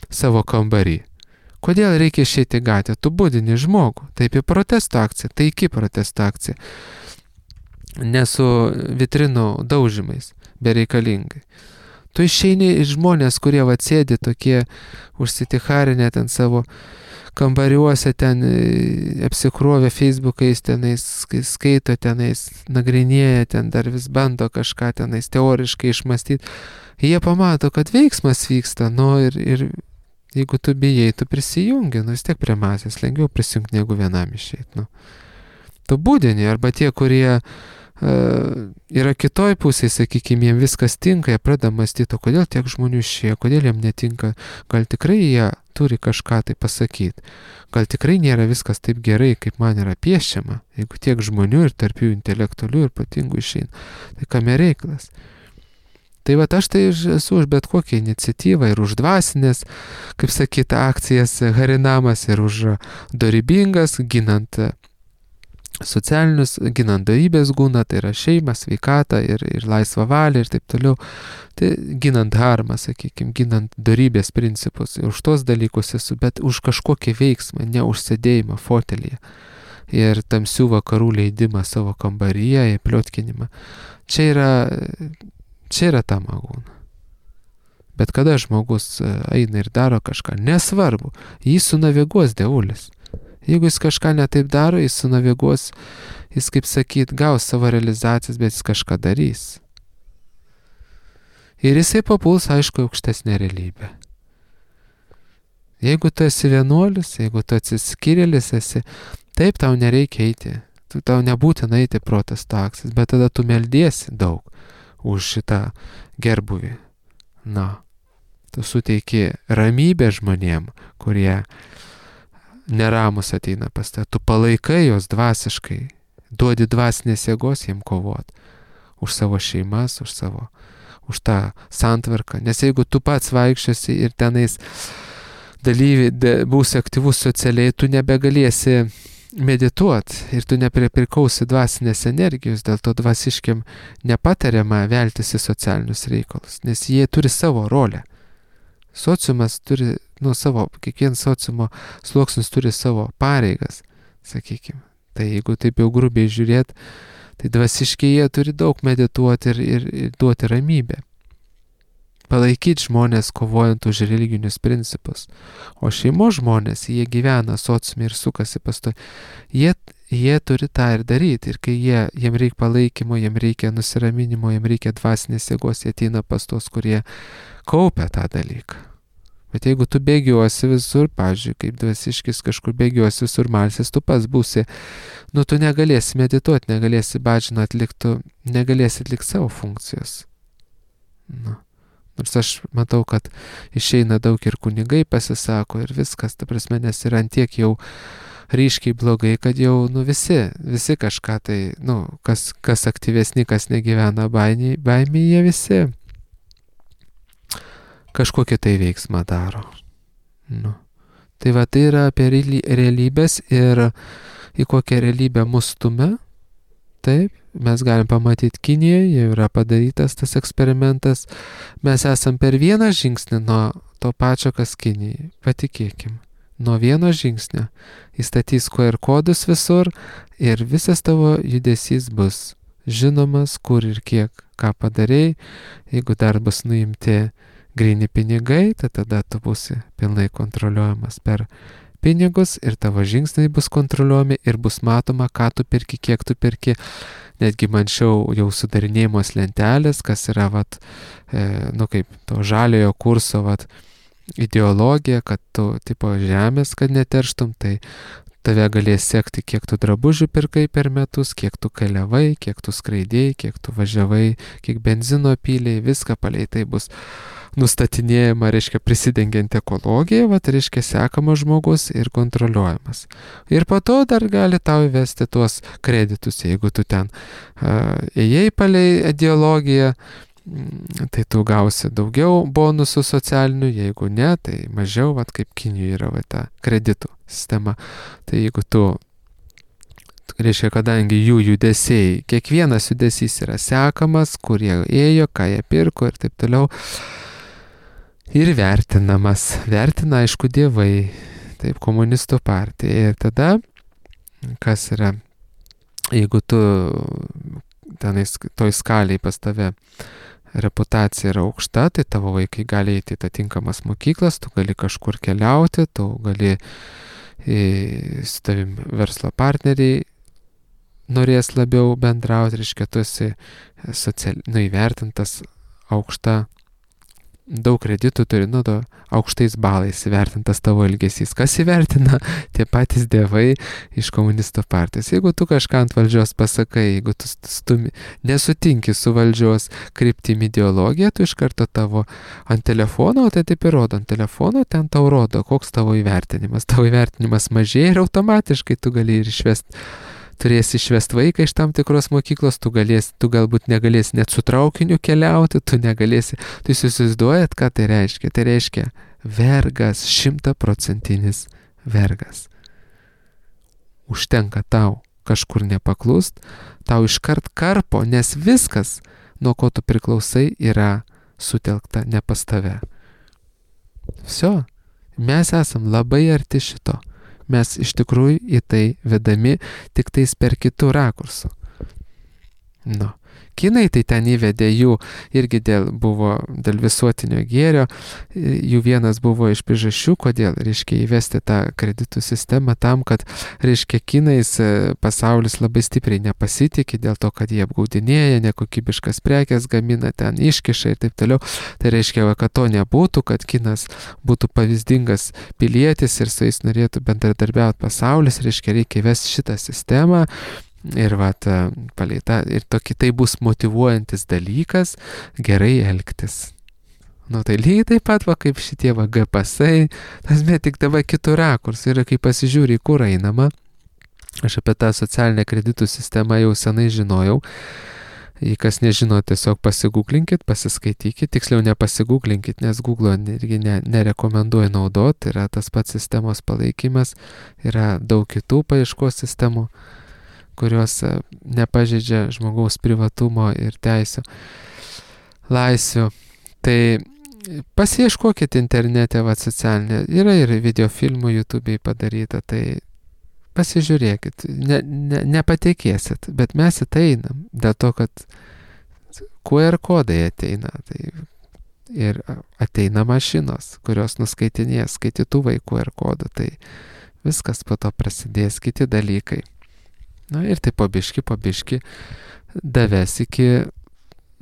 savo kambarį. Kodėl reikia išeiti gatvę? Tu būdini žmogų. Taip į protesto akciją, tai iki protesto akciją. Ne su vitrinų daužymais, bereikalingai. Tu išeini iš žmonės, kurie atsėdi tokie užsiticharinę ten savo kambariuose, ten apsikrovė Facebook'ais, tenais skaito, tenais nagrinėja, ten dar vis bando kažką tenais teoriškai išmastyti. Jie pamato, kad veiksmas vyksta, nu ir, ir jeigu tu bijai, tu prisijungi, nu vis tiek prie masės, lengviau prisijungti negu vienam išeit. Nu. Tu būdini, arba tie, kurie Uh, yra kitoj pusėje, sakykime, jiems viskas tinka, jie pradeda mąstyti, kodėl tiek žmonių išėjo, kodėl jiems netinka, gal tikrai jie turi kažką tai pasakyti, gal tikrai nėra viskas taip gerai, kaip man yra piešiama, jeigu tiek žmonių ir tarp jų intelektualių ir patingų išeina, tai kame reikalas. Tai va, aš tai esu už bet kokią iniciatyvą ir už dvasinės, kaip sakyta, akcijas harinamas ir už dorybingas, ginant socialinius, ginant dorybės gūną, tai yra šeimą, sveikatą ir, ir laisvą valią ir taip toliau. Tai ginant harmą, sakykime, ginant dorybės principus. Ir už tos dalykus esu, bet už kažkokį veiksmą, ne už sėdėjimą fotelyje. ir tamsių vakarų leidimą savo kambaryje, į pliotkinimą. Čia yra, čia yra ta magūna. Bet kada žmogus eina ir daro kažką, nesvarbu, jį sunaviguos dievulis. Jeigu jis kažką netaip daro, jis sunaviguos, jis, kaip sakyt, gaus savo realizacijas, bet jis kažką darys. Ir jisai papuls, aišku, aukštesnė realybė. Jeigu tu esi vienuolis, jeigu tu atsiskyrėlis esi, taip tau nereikia eiti, tu, tau nebūtina eiti protesto akcijas, bet tada tu meldiesi daug už šitą gerbuvį. Na, tu suteiki ramybę žmonėm, kurie neramus ateina pas tave, tu palaikai jos dvasiškai, duodi dvasinės jėgos jiem kovot už savo šeimas, už savo, už tą santvarką, nes jeigu tu pats vaikščiosi ir tenais dalyviai, de, būsi aktyvus socialiai, tu nebegalėsi medituoti ir tu nepripirkausi dvasinės energijos, dėl to dvasiškiam nepatariama veltis į socialinius reikalus, nes jie turi savo rolę. Sociumas turi, nu, savo, kiekvienas sociumo sluoksnis turi savo pareigas, sakykime. Tai jeigu taip jau grubiai žiūrėt, tai dvasiškai jie turi daug medituoti ir, ir, ir duoti ramybę. Palaikyti žmonės kovojant už religinius principus. O šeimos žmonės, jie gyvena sociume ir sukasi pasto. Jie, jie turi tą ir daryti. Ir kai jie, jiem reikia palaikymo, jiem reikia nusiraminimo, jiem reikia dvasinės jėgos, jie ateina pas tos, kurie kaupia tą dalyką. Bet jeigu tu bėgiosi visur, pavyzdžiui, kaip dvasiškis kažkur bėgiosi visur malsis, tu pats būsi, nu tu negalėsi medituoti, negalėsi badžiną atlikti, negalėsi atlikti savo funkcijos. Nu. Nors aš matau, kad išeina daug ir kunigai pasisako ir viskas, ta prasme, nes yra antiek jau ryškiai blogai, kad jau, nu, visi, visi kažką tai, nu, kas, kas aktyvesni, kas negyvena baimėje, baimė, jie visi kažkokį tai veiksmą daro. Nu. Tai va, tai yra apie realybės ir į kokią realybę mus stumia. Taip, mes galim pamatyti Kinijoje, jau yra padarytas tas eksperimentas. Mes esam per vieną žingsnį nuo to pačio, kas Kinijai. Patikėkim. Nuo vieno žingsnio įstatys Q R kodus visur ir visas tavo judesys bus žinomas, kur ir kiek ką padarei. Jeigu dar bus nuimti gryni pinigai, tai tada tu būsi pilnai kontroliuojamas per pinigus ir tavo žingsniai bus kontroliuojami ir bus matoma, ką tu perki, kiek tu perki. Netgi mančiau jau sudarinėjimos lentelės, kas yra, vat, e, nu kaip to žaliojo kurso, vat, ideologija, kad tu, tipo, žemės, kad neterštum, tai tave galės sekti, kiek tu drabužių pirkai per metus, kiek tu keliavai, kiek tu skraidėjai, kiek tu važiavai, kiek benzino pylėjai, viską palei tai bus nustatinėjama, reiškia, prisidengiant ekologiją, va, reiškia, sekamas žmogus ir kontroliuojamas. Ir po to dar gali tau įvesti tuos kreditus, jeigu tu ten uh, ėjai palei ideologiją, tai tu gausi daugiau bonusų socialinių, jeigu ne, tai mažiau, va, kaip Kinijoje yra va, ta kreditų sistema. Tai jeigu tu, reiškia, kadangi jų judesiai, kiekvienas judesys yra sekamas, kur jie ėjo, ką jie pirko ir taip toliau, ir vertinamas. Vertina, aišku, dievai, taip, komunistų partija. Ir tada, kas yra, jeigu tu tenais toj skaliai pas tave reputacija yra aukšta, tai tavo vaikai gali eiti į atitinkamas mokyklas, tu gali kažkur keliauti, tu gali į, su tavim verslo partneriai norės labiau bendrauti, reiškia, tu esi social, nu, įvertintas aukšta, daug kreditų turi, nu, to, aukštais balais įvertintas tavo elgesys. Kas įvertina? Tie patys dievai iš komunistų partijos. Jeigu tu kažką ant valdžios pasakai, jeigu tu stumi, nesutinki su valdžios kryptim ideologiją, tu iš karto tavo ant telefono, o tai taip ir rodo ant telefono, ten tau rodo, koks tavo įvertinimas. Tavo įvertinimas mažėja ir automatiškai tu gali ir išvesti. Turėsi išvesti vaiką iš tam tikros mokyklos, tu, galėsi, tu galbūt negalėsi net su traukiniu keliauti, tu negalėsi, tu įsivaizduojat, ką tai reiškia. Tai reiškia vergas, šimtaprocentinis vergas. Užtenka tau kažkur nepaklust, tau iškart karpo, nes viskas, nuo ko tu priklausai, yra sutelkta ne pas tave. Visio, mes esam labai arti šito. Mes iš tikrųjų į tai vedami tik tais per kitų rakursų. Nu. Kinai tai ten įvedė jų irgi dėl, buvo dėl visuotinio gėrio, jų vienas buvo iš priežasčių, kodėl, reiškia, įvesti tą kreditų sistemą tam, kad, reiškia, Kinais pasaulis labai stipriai nepasitikė dėl to, kad jie apgaudinėja, nekokybiškas prekes gamina, ten iškiša ir taip toliau. Tai reiškia, kad to nebūtų, kad Kinas būtų pavyzdingas pilietis ir su jais norėtų bendradarbiauti pasaulis, reiškia, reikia įvesti šitą sistemą. Ir vat, palei tą, ir tokį tai bus motyvuojantis dalykas gerai elgtis. Nu tai lygiai taip pat, va, kaip šitie va G P S-ai, tas bet tik dabar kitų rakursų. Ir kai pasižiūri, kur einama, aš apie tą socialinę kreditų sistemą jau senai žinojau. Jei kas nežino, tiesiog pasigūglinkit, pasiskaitykit, tiksliau nepasigūglinkit, nes Google irgi ne, nerekomenduoja naudoti, yra tas pats sistemos palaikymas, yra daug kitų paieškos sistemų, kurios nepažeidžia žmogaus privatumo ir teisių, laisvių. Tai pasiieškokit internete, va, socialinė, yra ir videofilmų YouTube'ai padaryta, tai pasižiūrėkit, ne, ne, nepatikėsit, bet mes į tai einam, dėl to, kad Q R kodai ateina, tai ir ateina mašinos, kurios nuskaitinės skaitytuvai Q R kodų, tai viskas po to prasidės kiti dalykai. Na ir tai po biški, po biški davės iki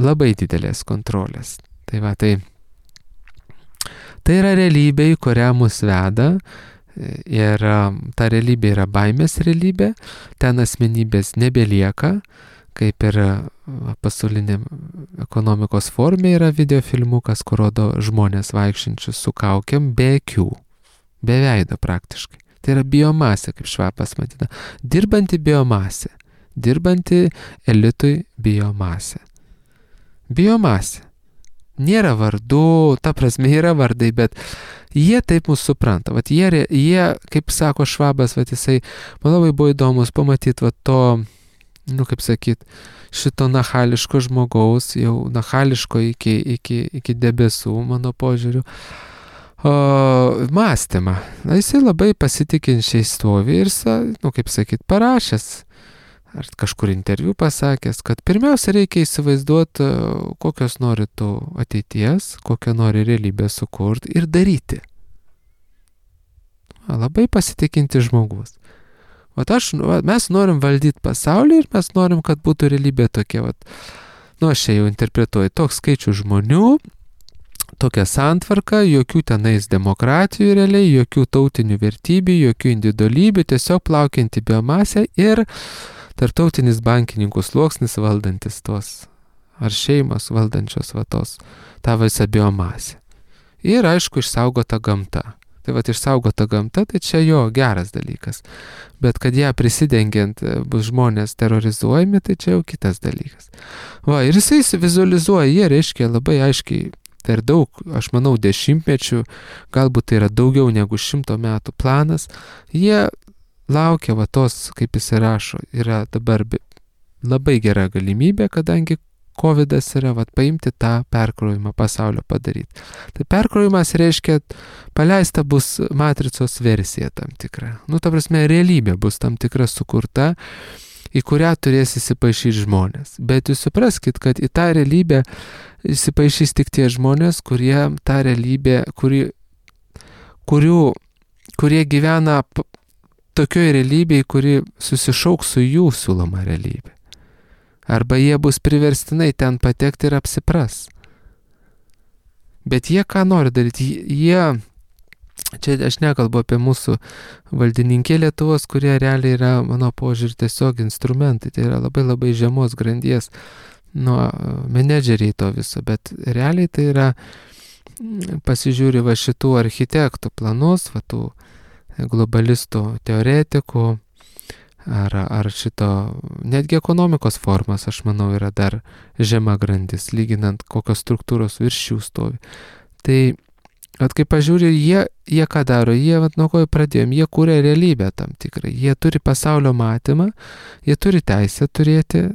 labai didelės kontrolės. Tai va, tai, tai yra realybė, į kurią mus veda ir ta realybė yra baimės realybė, ten asmenybės nebelieka, kaip ir pasaulinė ekonomikos formė yra videofilmukas, kur rodo žmonės vaikščiančius su kaukiam be akių, be veido praktiškai. Tai yra biomasė, kaip Švapas matyta. Dirbanti biomasė. Dirbanti elitui biomasė. Biomasė. Nėra vardų, ta prasme yra vardai, bet jie taip mūsų supranta. Vat jie, jie, kaip sako Švabas, vat jisai, man labai buvo įdomus pamatyti vat to, nu kaip sakyt, šito nachališko žmogaus, jau nachališko iki, iki, iki debesų, mano požiūriu. O, mąstymą. Na, jisai labai pasitikinčiai stovi ir, nu, kaip sakyt, parašęs, ar kažkur interviu pasakęs, kad pirmiausia reikia įsivaizduoti, kokios nori tu ateities, kokią nori realybę sukurti ir daryti. Labai pasitikinti žmogus. Vat aš, mes norim valdyti pasaulį ir mes norim, kad būtų realybė tokia, vat, nu, aš čia jau interpretuoju, toks skaičių žmonių, tokia santvarka, jokių tenais demokratijų realiai, jokių tautinių vertybių, jokių individualybių, tiesiog plaukianti biomasė ir tarptautinis bankininkų sluoksnis valdantis tos, ar šeimos valdančios va tos, tą visą biomasę. Ir aišku, išsaugota gamta. Tai va, išsaugota gamta, tai čia jo geras dalykas. Bet kad ją prisidengiant bus žmonės terrorizuojami, tai čia jau kitas dalykas. Va, ir jisai vizualizuoja, jie reiškia labai aiškiai, per daug, aš manau, dešimtmečių, galbūt tai yra daugiau negu šimto metų planas, jie laukia va tos, kaip jis rašo, yra dabar labai gera galimybė, kadangi kovidas yra, va, paimti tą perkrovimą pasaulio padaryti. Tai perkrovimas reiškia, paleista bus matricos versija tam tikra. Nu, ta prasme, realybė bus tam tikra sukurta, į kurią turės įsipaišyti žmonės. Bet jūs supraskit, kad į tą realybę įsipaišys tik tie žmonės, kurie tą realybę, kuri, kurių, kurie gyvena p- tokioje realybėje, kuri susišauks su jų siūloma realybė. Arba jie bus priverstinai ten patekti ir apsipras. Bet jie ką nori daryti? Jie, čia aš nekalbu apie mūsų valdininkė Lietuvos, kurie realiai yra, mano požiūrį, tiesiog instrumentai. Tai yra labai labai žemos grandies, nu, menedžeriai to viso. Bet realiai tai yra, pasižiūri va šitų architektų planus, va tų globalistų teoretikų, ar, ar šito, netgi ekonomikos formas, aš manau, yra dar žema grandis, lyginant kokios struktūros virš jų stovi. Tai, at kai pažiūrė, jie, jie ką daro, jie, vat, nuo ko pradėjom, jie kūrė realybę tam tikrą, jie turi pasaulio matymą, jie turi teisę turėti,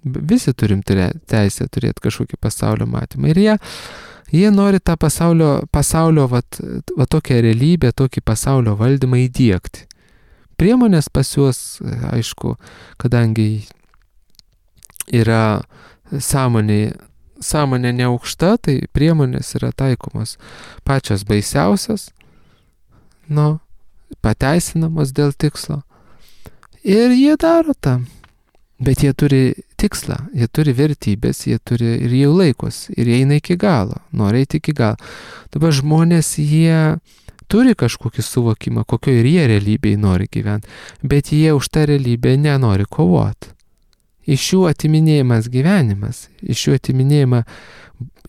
visi turim teisę turėti kažkokį pasaulio matymą, ir jie, Jie nori tą pasaulio, pasaulio vat, va tokią realybę, tokį pasaulio valdymą įdiegti. Priemonės pas juos, aišku, kadangi yra sąmonė, sąmonė neaukšta, tai priemonės yra taikomos pačios baisiausios, nu, pateisinamos dėl tikslo. Ir jie daro tą. Bet jie turi tikslą, jie turi vertybės, jie turi ir jau laikos, ir jie eina iki galo, nori eiti iki galo. Dabar žmonės, jie turi kažkokį suvokimą, kokio ir jie realybėje nori gyventi, bet jie už tą realybę nenori kovoti. Iš jų atiminėjimas gyvenimas, iš jų atiminėjimą,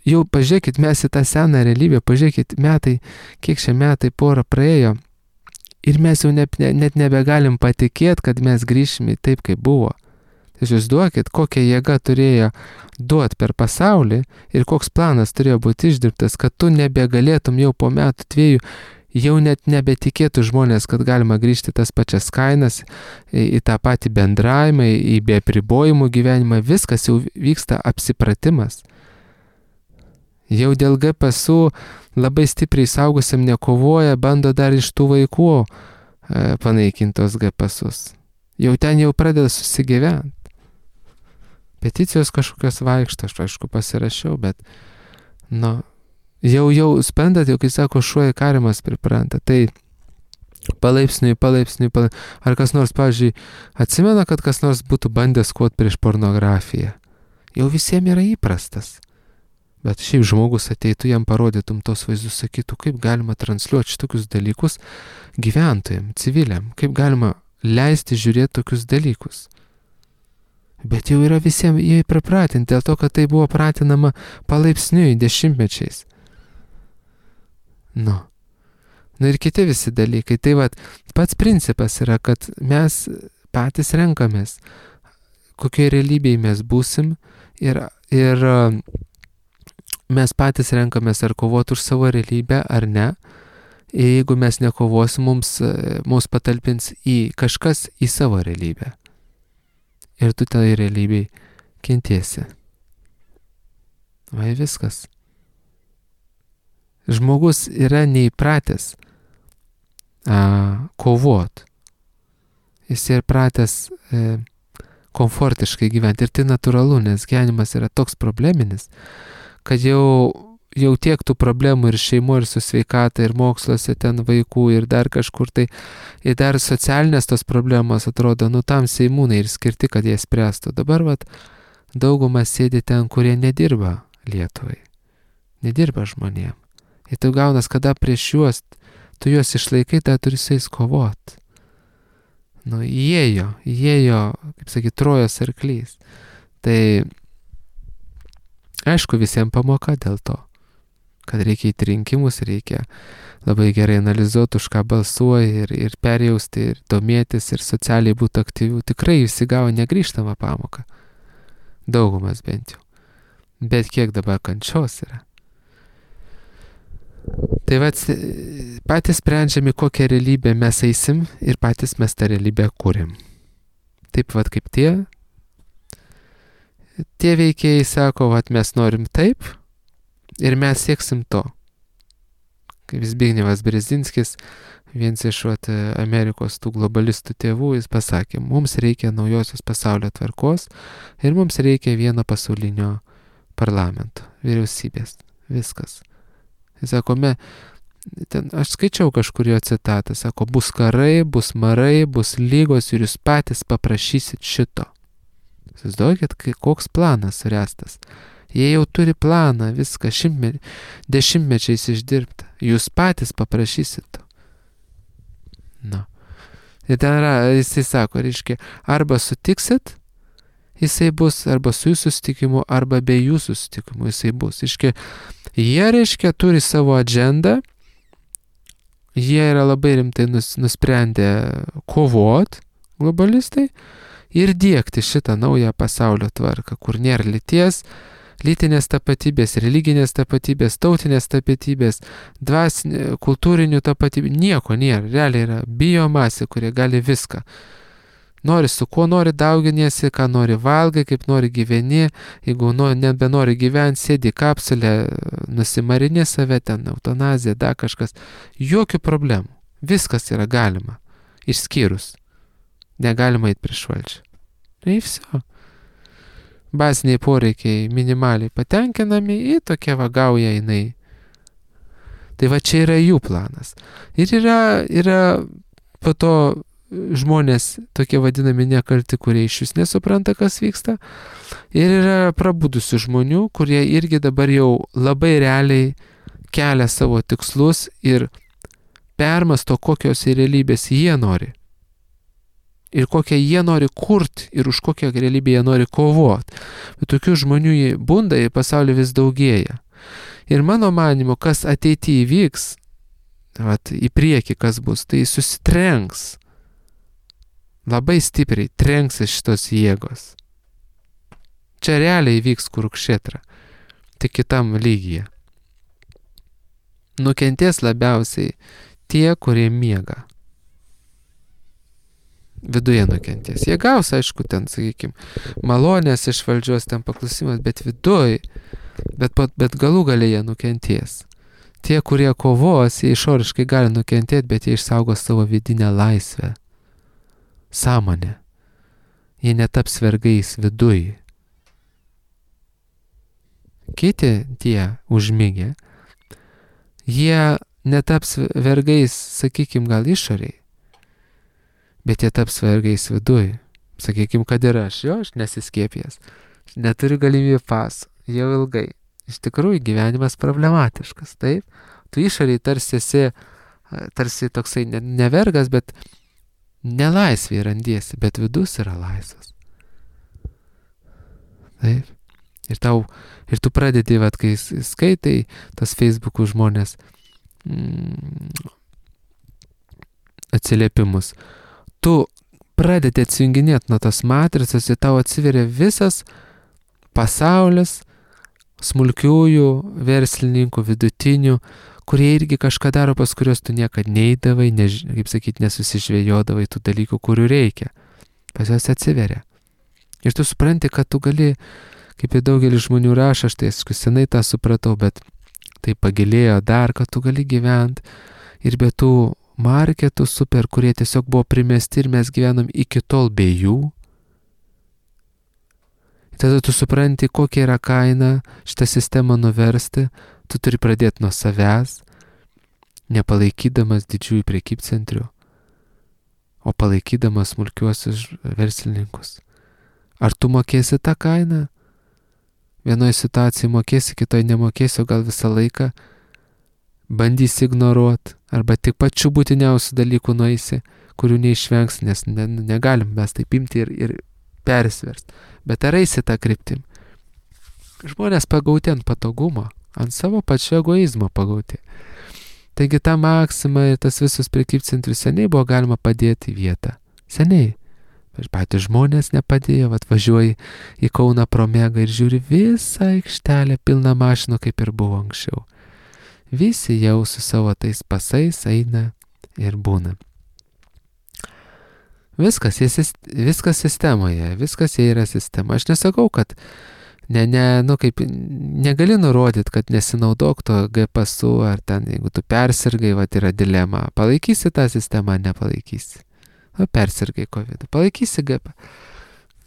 jau pažiūrėkit, mes į tą seną realybę, pažiūrėkit, metai, kiek šie metai porą praėjo, ir mes jau ne, net nebegalim patikėti, kad mes grįšime taip, kaip buvo. Jūs duokit, kokią jėgą turėjo duoti per pasaulį ir koks planas turėjo būti išdirbtas, kad tu nebegalėtum jau po metų dviejų, jau net nebetikėtų žmonės, kad galima grįžti tas pačias kainas, į, į tą patį bendravimą, į be apribojimų gyvenimą, viskas jau vyksta apsipratimas. Jau dėl G P S U labai stipriai saugusiam nekovoja, bando dar iš tų vaikų e, panaikintos G P S Us. Jau ten jau pradeda susigyventi. Peticijos kažkokios vaikšto, aš aišku pasirašiau, bet, nu, jau, jau spendat, jau kai sako, šuo į karimas pripranta, tai palaipsniui, palaipsniui, palaipsniui. Ar kas nors, pavyzdžiui, atsimena, kad kas nors būtų bandęs kovot prieš pornografiją? Jau visiems yra įprastas. Bet šiaip žmogus ateitų, jam parodytum tos vaizdus, sakytų, kaip galima transliuoti šitokius dalykus gyventojams, civiliam, kaip galima leisti žiūrėti tokius dalykus. Bet jau yra visiems jie pripratinti, dėl to, kad tai buvo pratinama palaipsniui, dešimtmečiais. Nu. Nu ir kiti visi dalykai. Tai vat, pats principas yra, kad mes patys renkamės, kokioje realybėje mes būsim ir, ir mes patys renkamės ar kovoti už savo realybę ar ne. Ir jeigu mes nekovosim, mums, mums patalpins į kažkas į savo realybę. Ir tu tai realybėj kentėsi. Vai viskas. Žmogus yra neįpratęs a, kovot. Jis yra pratęs e, komfortiškai gyventi. Ir tai natūralu, nes gyvenimas yra toks probleminis, kad jau, jau tiek tų problemų ir šeimo, ir su sveikata, ir moksluose ten vaikų, ir dar kažkur tai, ir dar socialinės tos problemos atrodo, nu tam seimūnai ir skirti, kad jie spręstų. Dabar vat daugumas sėdi ten, kurie nedirba Lietuvai, nedirba žmonėm. Ir tu gaunas, kada prieš juos, tu juos išlaikai, tai turi su jais kovot. Nu, įėjo, įėjo, kaip sakyt, Trojos arklys. Tai aišku, visiems pamoka dėl to, kad reikia į rinkimus, reikia labai gerai analizuoti, už ką balsuoja ir, ir perjausti, ir domėtis, ir socialiai būti aktyvių. Tikrai visi gavo negrįžtamą pamoką. Daugumas bent jau. Bet kiek dabar kančios yra. Tai vat, patys sprendžiami, kokią realybę mes eisim ir patys mes tą realybę kūrėm. Taip vat kaip tie. Tie veikėjai sako, vat mes norim taip ir mes sieksim to. Kaip Zbignevas Brzezinskis, vienas iš vat, Amerikos tų globalistų tėvų, jis pasakė, mums reikia naujosios pasaulio tvarkos ir mums reikia vieno pasaulinio parlamento, vyriausybės. Viskas. Jis sako, me, ten, aš skaičiau kažkur jo citatą, sako, bus karai, bus marai, bus lygos ir jūs patys paprašysit šito. Jūs daugit, koks planas suręstas. Jie jau turi planą, viską šimtme, dešimtmečiais išdirbta. Jūs patys paprašysit to. Nu. Ir ten yra, jisai sako, reiškia, arba sutiksit, jisai bus, arba su jūsų sutikimu, arba be jūsų sutikimu jisai bus. Reiškia, jie, reiškia, turi savo agendą, jie yra labai rimtai nus, nusprendę kovot, globalistai, ir diegti šitą naują pasaulio tvarką, kur nėra lyties, lytinės tapatybės, religinės tapatybės, tautinės tapatybės, dvasinė, kultūrinių tapatybių, nieko nėra. Realiai yra biomasė, kurie gali viską. Nori su kuo nori dauginiesi, ką nori valgai, kaip nori gyveni, jeigu nu, nebenori gyventi, sėdi kapsulę, nusimarini save ten, eutanazija, da kažkas. Jokių problemų. Viskas yra galima. Išskyrus. Negalima eiti prieš valdžią. Tai viso. Baziniai poreikiai minimaliai patenkinami, į tokia vagauja jinai. Tai va čia yra jų planas. Ir yra, yra po to žmonės tokie vadinami nekalti, kurie iš vis nesupranta, kas vyksta. Ir yra prabudusių žmonių, kurie irgi dabar jau labai realiai kelia savo tikslus ir permasto, kokios realybės jie nori. Ir kokią jie nori kurti ir už kokią realybę jie nori kovoti. Bet tokių žmonių bunda į pasaulį vis daugėja. Ir mano manimu, kas ateityje įvyks, vat, į priekį kas bus, tai susitrenks. Labai stipriai trenksis šitos jėgos. Čia realiai vyks Kurukšetra, tik kitam lygyje. Nukentės labiausiai tie, kurie miega. Viduje nukentės. Jie gaus, aišku, ten, sakykime, malonės iš valdžios, ten paklusimas, bet viduj, bet, bet galų gale jie nukentės. Tie, kurie kovos, jie išoriškai gali nukentėti, bet jie išsaugos savo vidinę laisvę. Sąmonę. Jie netaps vergais viduj. Kiti tie užmigę, jie netaps vergais, sakykim, gal išoriai, bet jie taps vergais viduj. Sakykim, kad ir aš, jo, aš nesiskiepęs, neturiu galimybę pasų, jau ilgai. Iš tikrųjų, gyvenimas problematiškas, taip? Tu išoriai tarsi esi, tarsi toksai nevergas, bet nelaisviai randiesi, bet vidus yra laisvas. Taip. Ir, tau, ir tu pradedi, vat, kai skaitai tas Facebook'ų žmonės mm, atsiliepimus, tu pradedi atsijunginėti nuo tos matricos ir tau atsiveria visas pasaulis smulkiųjų verslininkų, vidutinių, kurie irgi kažką daro, pas kurios tu niekad neidavai, ne, kaip sakyti, nesusižvėjodavai tų dalykų, kurių reikia. Pas jos atsiveria. Ir tu supranti, kad tu gali, kaip ir daugelis žmonių rašo, aš tai senai tą supratau, bet tai pagilėjo dar, kad tu gali gyventi ir be tų marketų super, kurie tiesiog buvo primesti ir mes gyvenom iki tol be jų. Tada tu supranti, kokia yra kaina šitą sistemą nuversti. Tu turi pradėti nuo savęs, nepalaikydamas didžiųjų prekybcentrių, o palaikydamas smulkiuosius verslininkus. Ar tu mokėsi tą kainą? Vienoje situacijoje mokėsi, kitoje nemokėsi, o gal visą laiką bandysi ignoruoti, arba tik pačių būtiniausių dalykų nueisi, kurių neišvengs, nes ne, negalim mes taip imti ir, ir persversti. Bet ar eisi tą kryptim? Žmonės pagauti ant patogumo, ant savo pačio egoizmo pagauti. Taigi tą maksimą ir tas visus prekybcentrius seniai buvo galima padėti į vietą. Seniai. Bet patys žmonės nepadėjo, atvažiuoji į Kauną pro Megą ir žiūri visą aikštelę pilną mašinų, kaip ir buvo anksčiau. Visi jau su savo tais pasais eina ir būna. Viskas, viskas sistemoje, viskas jie yra sistema. Aš nesakau, kad ne, ne, nu kaip, negali nurodyti, kad nesinaudok to G pasu, ar ten, jeigu tu persirgai, va, yra dilema. Palaikysi tą sistemą, nepalaikysi. O persirgai COVID, palaikysi G P.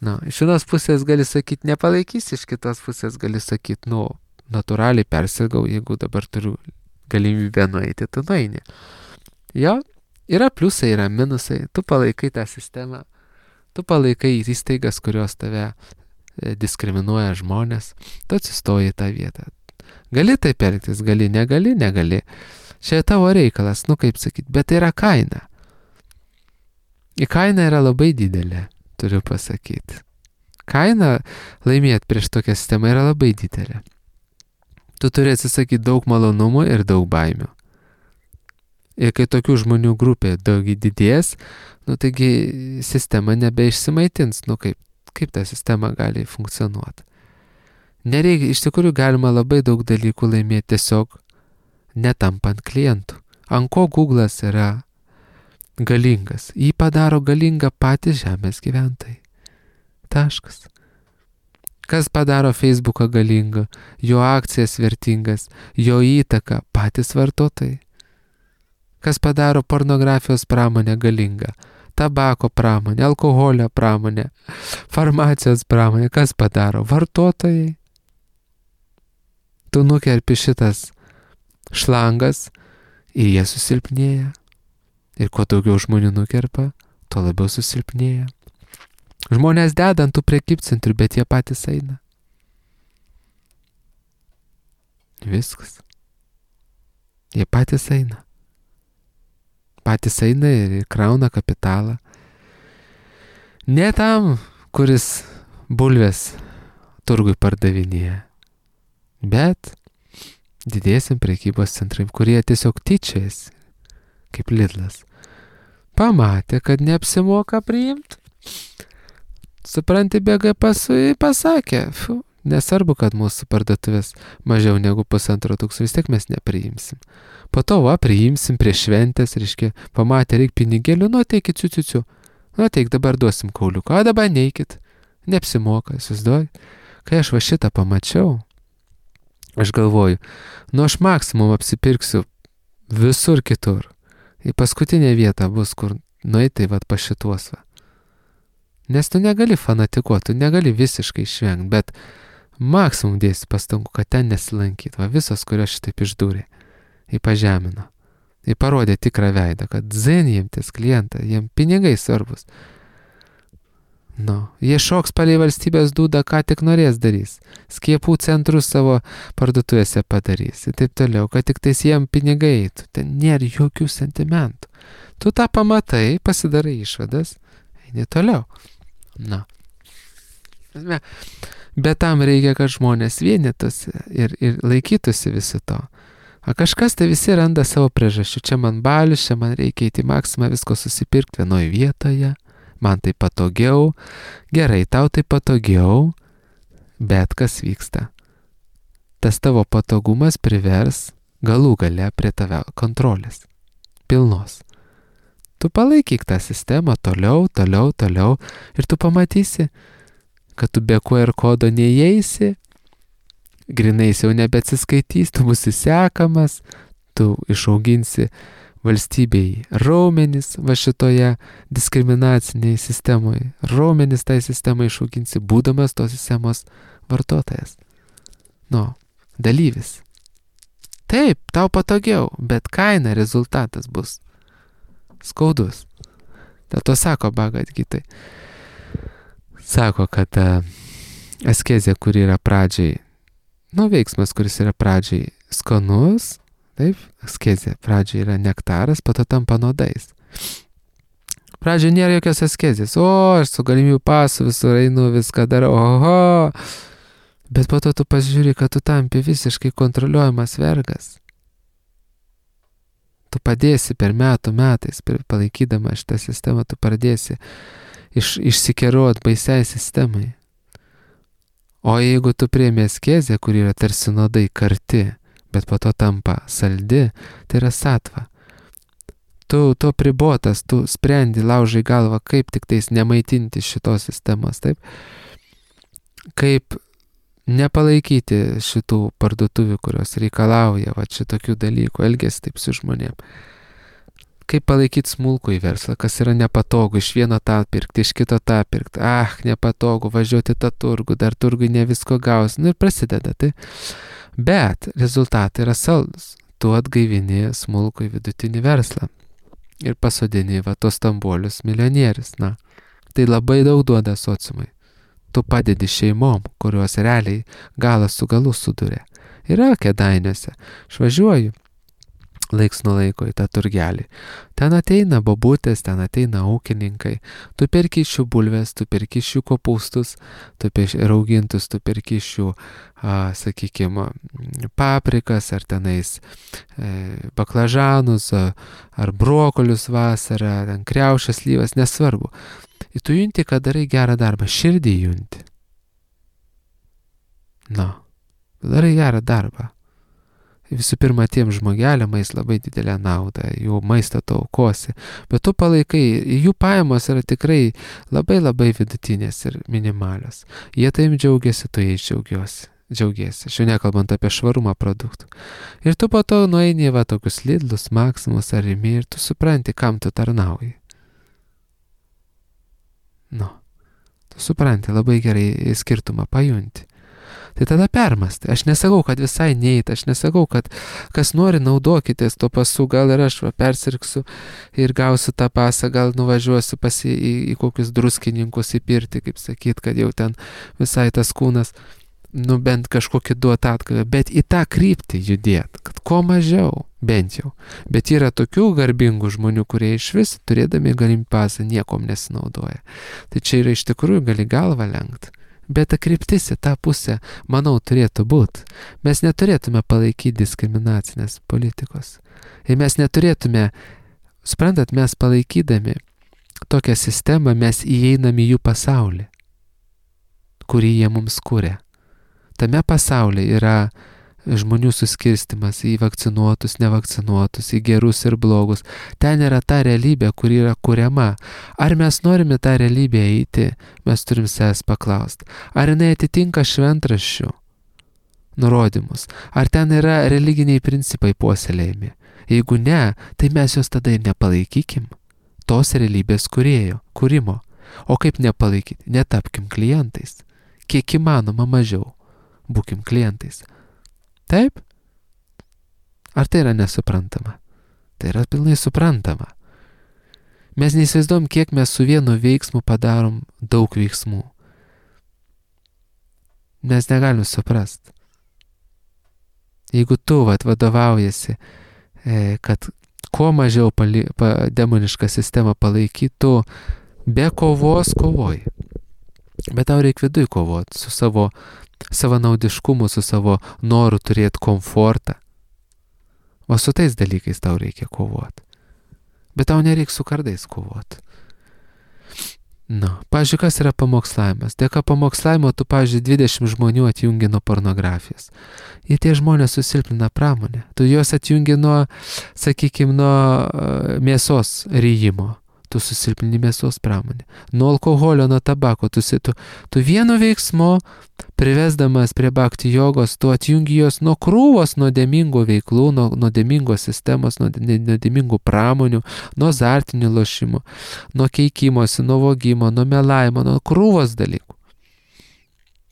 Nu, iš vienos pusės gali sakyti, nepalaikysi, iš kitos pusės gali sakyti, nu, natūraliai persirgau, jeigu dabar turiu galimybę nueiti, tu nueini. Jo, yra pliusai, yra minusai, tu palaikai tą sistemą, tu palaikai įstaigas, kurios tave diskriminuoja žmonės, tu atsistoji į tą vietą. Gali taip elgtis, gali, negali, negali. Čia tavo reikalas, nu kaip sakyti, bet tai yra kaina. Į kaina yra labai didelė, turiu pasakyti. Kaina laimėti prieš tokią sistemą yra labai didelė. Tu turi atsisakyti daug malonumų ir daug baimių. Ir kai tokių žmonių grupė daug didės, nu taigi sistema nebeišsimaitins, nu kaip, kaip ta sistema gali funkcionuoti. Nereikia, iš tikrųjų galima labai daug dalykų laimėti tiesiog netampant klientų. Ant ko Google'as yra galingas. Jį padaro galingą patys žemės gyventojai. Taškas. Kas padaro Facebooką galingą, jo akcijas vertingas, jo įtaką patys vartotojai. Kas padaro pornografijos pramonę galingą, tabako pramonę, alkoholio pramonę, farmacijos pramonę, kas padaro vartotojai. Tu nukerpi šitas šlangas ir jie susilpnėja. Ir kuo daugiau žmonių nukerpa, tuo labiau susilpnėja. Žmonės deda ant tų prekybcentrių, bet jie patys eina. Viskas. Jie patys eina. Patys eina ir krauna kapitalą. Ne tam, kuris bulvės turgui pardavinėja, bet didiesiam prekybos centrai, kurie tiesiog tyčiais, kaip Lidlas, pamatė, kad neapsimoka priimti. Supranti, bėga pasui, pasakė, fu, nesvarbu, kad mūsų parduotuvės mažiau negu pusantro tūkstančio, vis tiek mes nepriimsim. Po to, va, priimsim prie šventės, reiškia, pamatė, reik pinigėlių, nu, ateikit, ciu, ciu, ciu. Nu, ateik, dabar duosim kauliuką, o dabar neikit. Neapsimoka, įsivaizduoji. Kai aš va šitą pamačiau, aš galvoju, nu, aš maksimum apsipirksiu visur kitur. Į paskutinę vietą bus, kur nueitai, va, pa šituos, va. Nes tu negali fanatikuoti, tu negali visiškai išvengti, bet maksimum dėsi pastangų, kad ten nesilankyt. Va, visos, kurios šitaip išdūrė, jį pažemino. Jį parodė tikrą veidą, kad zen jiem ties klientą, jiem pinigai svarbus. Nu, jie šoks palei valstybės dūdą, ką tik norės darys. Skiepų centrus savo parduotuvėse padarys. Ir taip toliau, kad tik tais jiem pinigai eitų. Ten nėra jokių sentimentų. Tu tą pamatai, pasidarai išvadas, eini toliau. Na. Bet tam reikia, kad žmonės vienytųsi ir, ir laikytųsi visi to. O kažkas tai visi randa savo priežasčių. Čia man balius, čia man reikia įti maksimą visko susipirkti vienoje vietoje. Man tai patogiau. Gerai, tau tai patogiau. Bet kas vyksta? Tas tavo patogumas privers galų gale prie tave kontrolės. Pilnos. Tu palaikyk tą sistemą toliau, toliau, toliau ir tu pamatysi, kad tu be Q R kodo neįeisi, grinais jau nebeatsiskaitys, tu būsi sekamas, tu išauginsi valstybei raumenis va šitoje diskriminacinėje sistemoje. Raumenis tai sistemai išauginsi, būdamas tos sistemos vartotojas. Nu, dalyvis. Taip, tau patogiau, bet kaina, rezultatas bus skaudus. Dėl to sako Bhagavad Gitai. Sako, kad uh, askezė, kuri yra pradžiai, nu, veiksmas, kuris yra pradžiai skanus, taip, askezė pradžiai yra nektaras, po to tampa nuodais. Pradžiai nėra jokios askezės. O, aš su galimybių pasu visur einu, viską darau, oho. Bet po to tu pasižiūri, kad tu tampi visiškai kontroliuojamas vergas. Tu padėsi per metų metais, palaikydama šitą sistemą, tu pradėsi iš, išsikeruot baisiai sistemai. O jeigu tu priemi askezę, kur yra tarsi nuodai karti, bet po to tampa saldi, tai yra satva. Tu, tu pribotas, tu sprendi, laužai galvą, kaip tik tais nemaitinti šitos sistemos, taip? Kaip nepalaikyti šitų parduotuvių, kurios reikalauja va šitokių dalykų, elgesi taip su žmonėm. Kaip palaikyti smulkų į verslą, kas yra nepatogu, iš vieno tą pirkti, iš kito tą pirkti. Ah, nepatogu, važiuoti tą turgų, dar turgui ne visko gaus. Nu ir prasideda, tai. Bet rezultatai yra saldus. Tu atgaivini smulkų į vidutinį verslą. Ir pasodini va tos stambuolius milijonierius. Na, tai labai daug duoda sociumai. Tu padedi šeimom, kurios realiai galas su galu suduria. Yra Kėdainiuose. Švažiuoju laiks nuo laiko į tą turgelį. Ten ateina bobutės, ten ateina ūkininkai. Tu perki iš jų bulves, tu perki iš jų kopūstus, tu raugintus, tu perki iš jų, sakykime, paprikas, ar tenais e, baklažanus, ar brokolius vasarą, ten kriaušės, slyvas, nesvarbu. Ir tu junti, kad darai gerą darbą, širdį junti. Na, darai gerą darbą. visų pirma, tiem žmogeliam eis labai didelę naudą, jų maistą tu aukosi, bet tu palaikai, jų pajamos yra tikrai labai labai vidutinės ir minimalios. Jie taim džiaugiasi, tu jais džiaugiuosi. Džiaugiesi, šiuo nekalbant apie švarumą produktų. Ir tu po to nueini va tokius Lidlus, Maximus ar Rimi ir tu supranti, kam tu tarnauji. Nu, tu supranti, labai gerai skirtumą pajunti. Tai tada permastai. Aš nesakau, kad visai neit, aš nesakau, kad kas nori naudokitės to pasu, gal ir aš va, persirksiu ir gausiu tą pasą, gal nuvažiuosiu pasi į, į kokius druskininkus į pirtį, kaip sakyt, kad jau ten visai tas kūnas nu bent kažkokį duot atgavę, bet į tą kryptį judėt, kad kuo mažiau, bent jau. Bet yra tokių garbingų žmonių, kurie iš vis, turėdami galimybę pasą, niekom nesinaudoja. Tai čia yra iš tikrųjų gali galvą lenkt. Bet ta kryptis į tą pusę, manau, turėtų būti. Mes neturėtume palaikyti diskriminacinės politikos. Ir mes neturėtume, suprantat, mes palaikydami tokią sistemą, mes įeiname į jų pasaulį, kurį jie mums kuria. Tame pasaulyje yra žmonių suskirstimas į vakcinuotus, nevakcinuotus, į gerus ir blogus. Ten yra ta realybė, kuri yra kuriama. Ar mes norime tą realybę eiti, mes turim savęs paklausti. Ar jinai atitinka šventraščių nurodymus? Ar ten yra religiniai principai puoselėjami? Jeigu ne, tai mes jos tada ir nepalaikykim. Tos realybės kūrėjo, kūrimo. O kaip nepalaikyti? Netapkim klientais. Kiek įmanoma mažiau. Būkim klientais. Taip? Ar tai yra nesuprantama? Tai yra pilnai suprantama. Mes neįsivaizduojam, kiek mes su vienu veiksmu padarom daug veiksmų. Mes negalim suprast. Jeigu tu vat, vadovaujasi, e, kad kuo mažiau pali, pa, demonišką sistemą palaikytų, be kovos kovoji. Bet tau reikia viduj kovoti su savo savanaudiškumu, su savo noru turėti komfortą. O su tais dalykais tau reikia kovoti. Bet tau nereikia su kardais kovoti. Na, pavyzdžiui, kas yra pamokslavimas? Dėka pamokslavimo tu, pavyzdžiui, dvidešimt žmonių atjungi nuo pornografijos. Ir tie žmonės susilpnina pramonę. Tu juos atjungi nuo, sakykime, nuo uh, mėsos ryjimo. Tu susilpnini mėsos pramonę. Nuo alkoholio, nuo tabako. Tu, tu, tu vienu veiksmu, privesdamas prie bhakti jogos, tu atjungi jos nuo krūvos nuodėmingų veiklų, nuo nuodėmingos sistemos, nuo nuodėmingų pramonių, nuo azartinių lošimų, nuo keikimosi, nuo vogimo, nuo melavimo, nuo krūvos dalykų.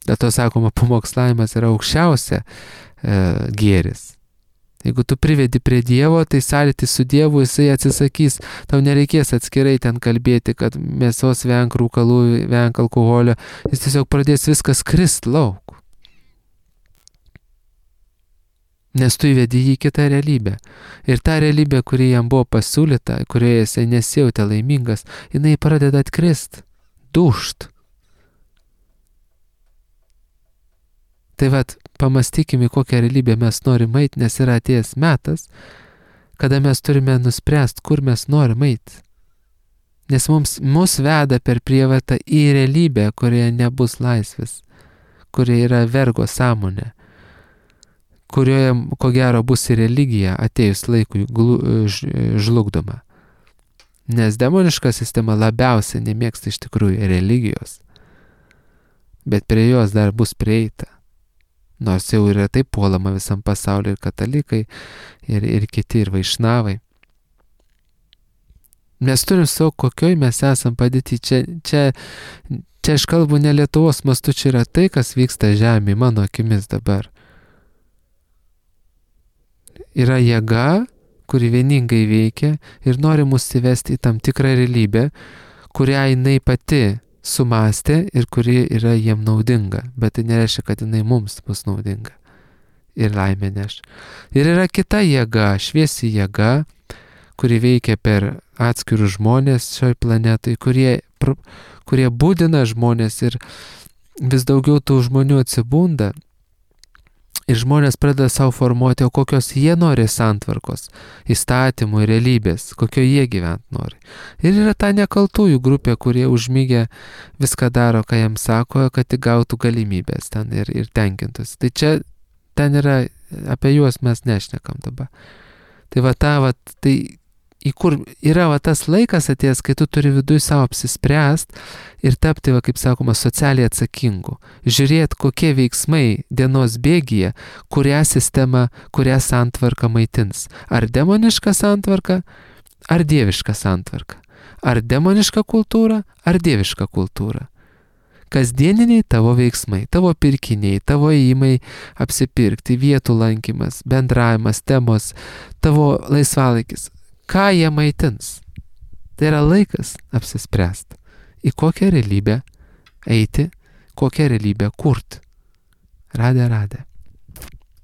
Dėl to sakoma, pamokslavimas yra aukščiausia e, gėris. Jeigu tu privedi prie Dievo, tai sąlytis su Dievu jisai atsisakys. Tau nereikės atskirai ten kalbėti, kad mėsos venk, rūkalų, venk, alkoholio. Jis tiesiog pradės viskas krist lauk. Nes tu įvedi jį kitą realybę. Ir ta realybė, kuri jam buvo pasiūlyta, kurioje jisai nesijautė laimingas, jinai pradeda atkrist, dušt. Tai vat, pamastykime, kokią realybę mes norim eit, nes yra atėjęs metas, kada mes turime nuspręsti, kur mes norim eit. Nes mums, mus veda per prievartą į realybę, kurioje nebus laisvės, kurioje yra vergo sąmonė, kurioje, ko gero, bus ir religija atėjus laikui žlugdoma. Nes demoniška sistema labiausiai nemėgsta iš tikrųjų religijos, bet prie jos dar bus prieita. Nors jau yra taip puolama visam pasauliu ir katalikai, ir, ir kiti, ir vaišnavai. Mes turim savo, kokioj mes esam padėti. Čia, čia, čia aš kalbu ne Lietuvos mastu, čia yra tai, kas vyksta žemėje, mano akimis dabar. Yra jėga, kuri vieningai veikia ir nori mus įvesti į tam tikrą realybę, kurią jinai pati sumastė ir kuri yra jiem naudinga, bet tai nereiškia, kad jinai mums bus naudinga ir laimė neš. Ir yra kita jėga, šviesi jėga, kuri veikia per atskirus žmonės šioj planetai, kurie, kurie būdina žmonės ir vis daugiau tų žmonių atsibunda ir žmonės pradeda savo formuoti, o kokios jie nori santvarkos, įstatymų ir realybės, kokio jie gyvent nori. Ir yra ta nekaltųjų grupė, kurie užmygę viską daro, ką jiems sako, kad tik gautų galimybės ten ir, ir tenkintus. Tai čia ten yra apie juos mes nešnekam dabar. Tai va ta, va, tai į kur yra va tas laikas atėjęs, kai tu turi viduj savo apsispręst ir tapti, va, kaip sakoma, socialiai atsakingu. Žiūrėt, kokie veiksmai dienos bėgyje, kurią sistemą, kurią santvarką maitins. Ar demoniška santvarka, ar dieviška santvarka. Ar demoniška kultūra, ar dieviška kultūra. Kasdieniniai tavo veiksmai, tavo pirkiniai, tavo įimai apsipirkti, vietų lankymas, bendravimas, temos, tavo laisvalaikis. Ką jie maitins? Tai yra laikas apsispręsti, į kokią realybę eiti, kokią realybę kurti. Radė, radė.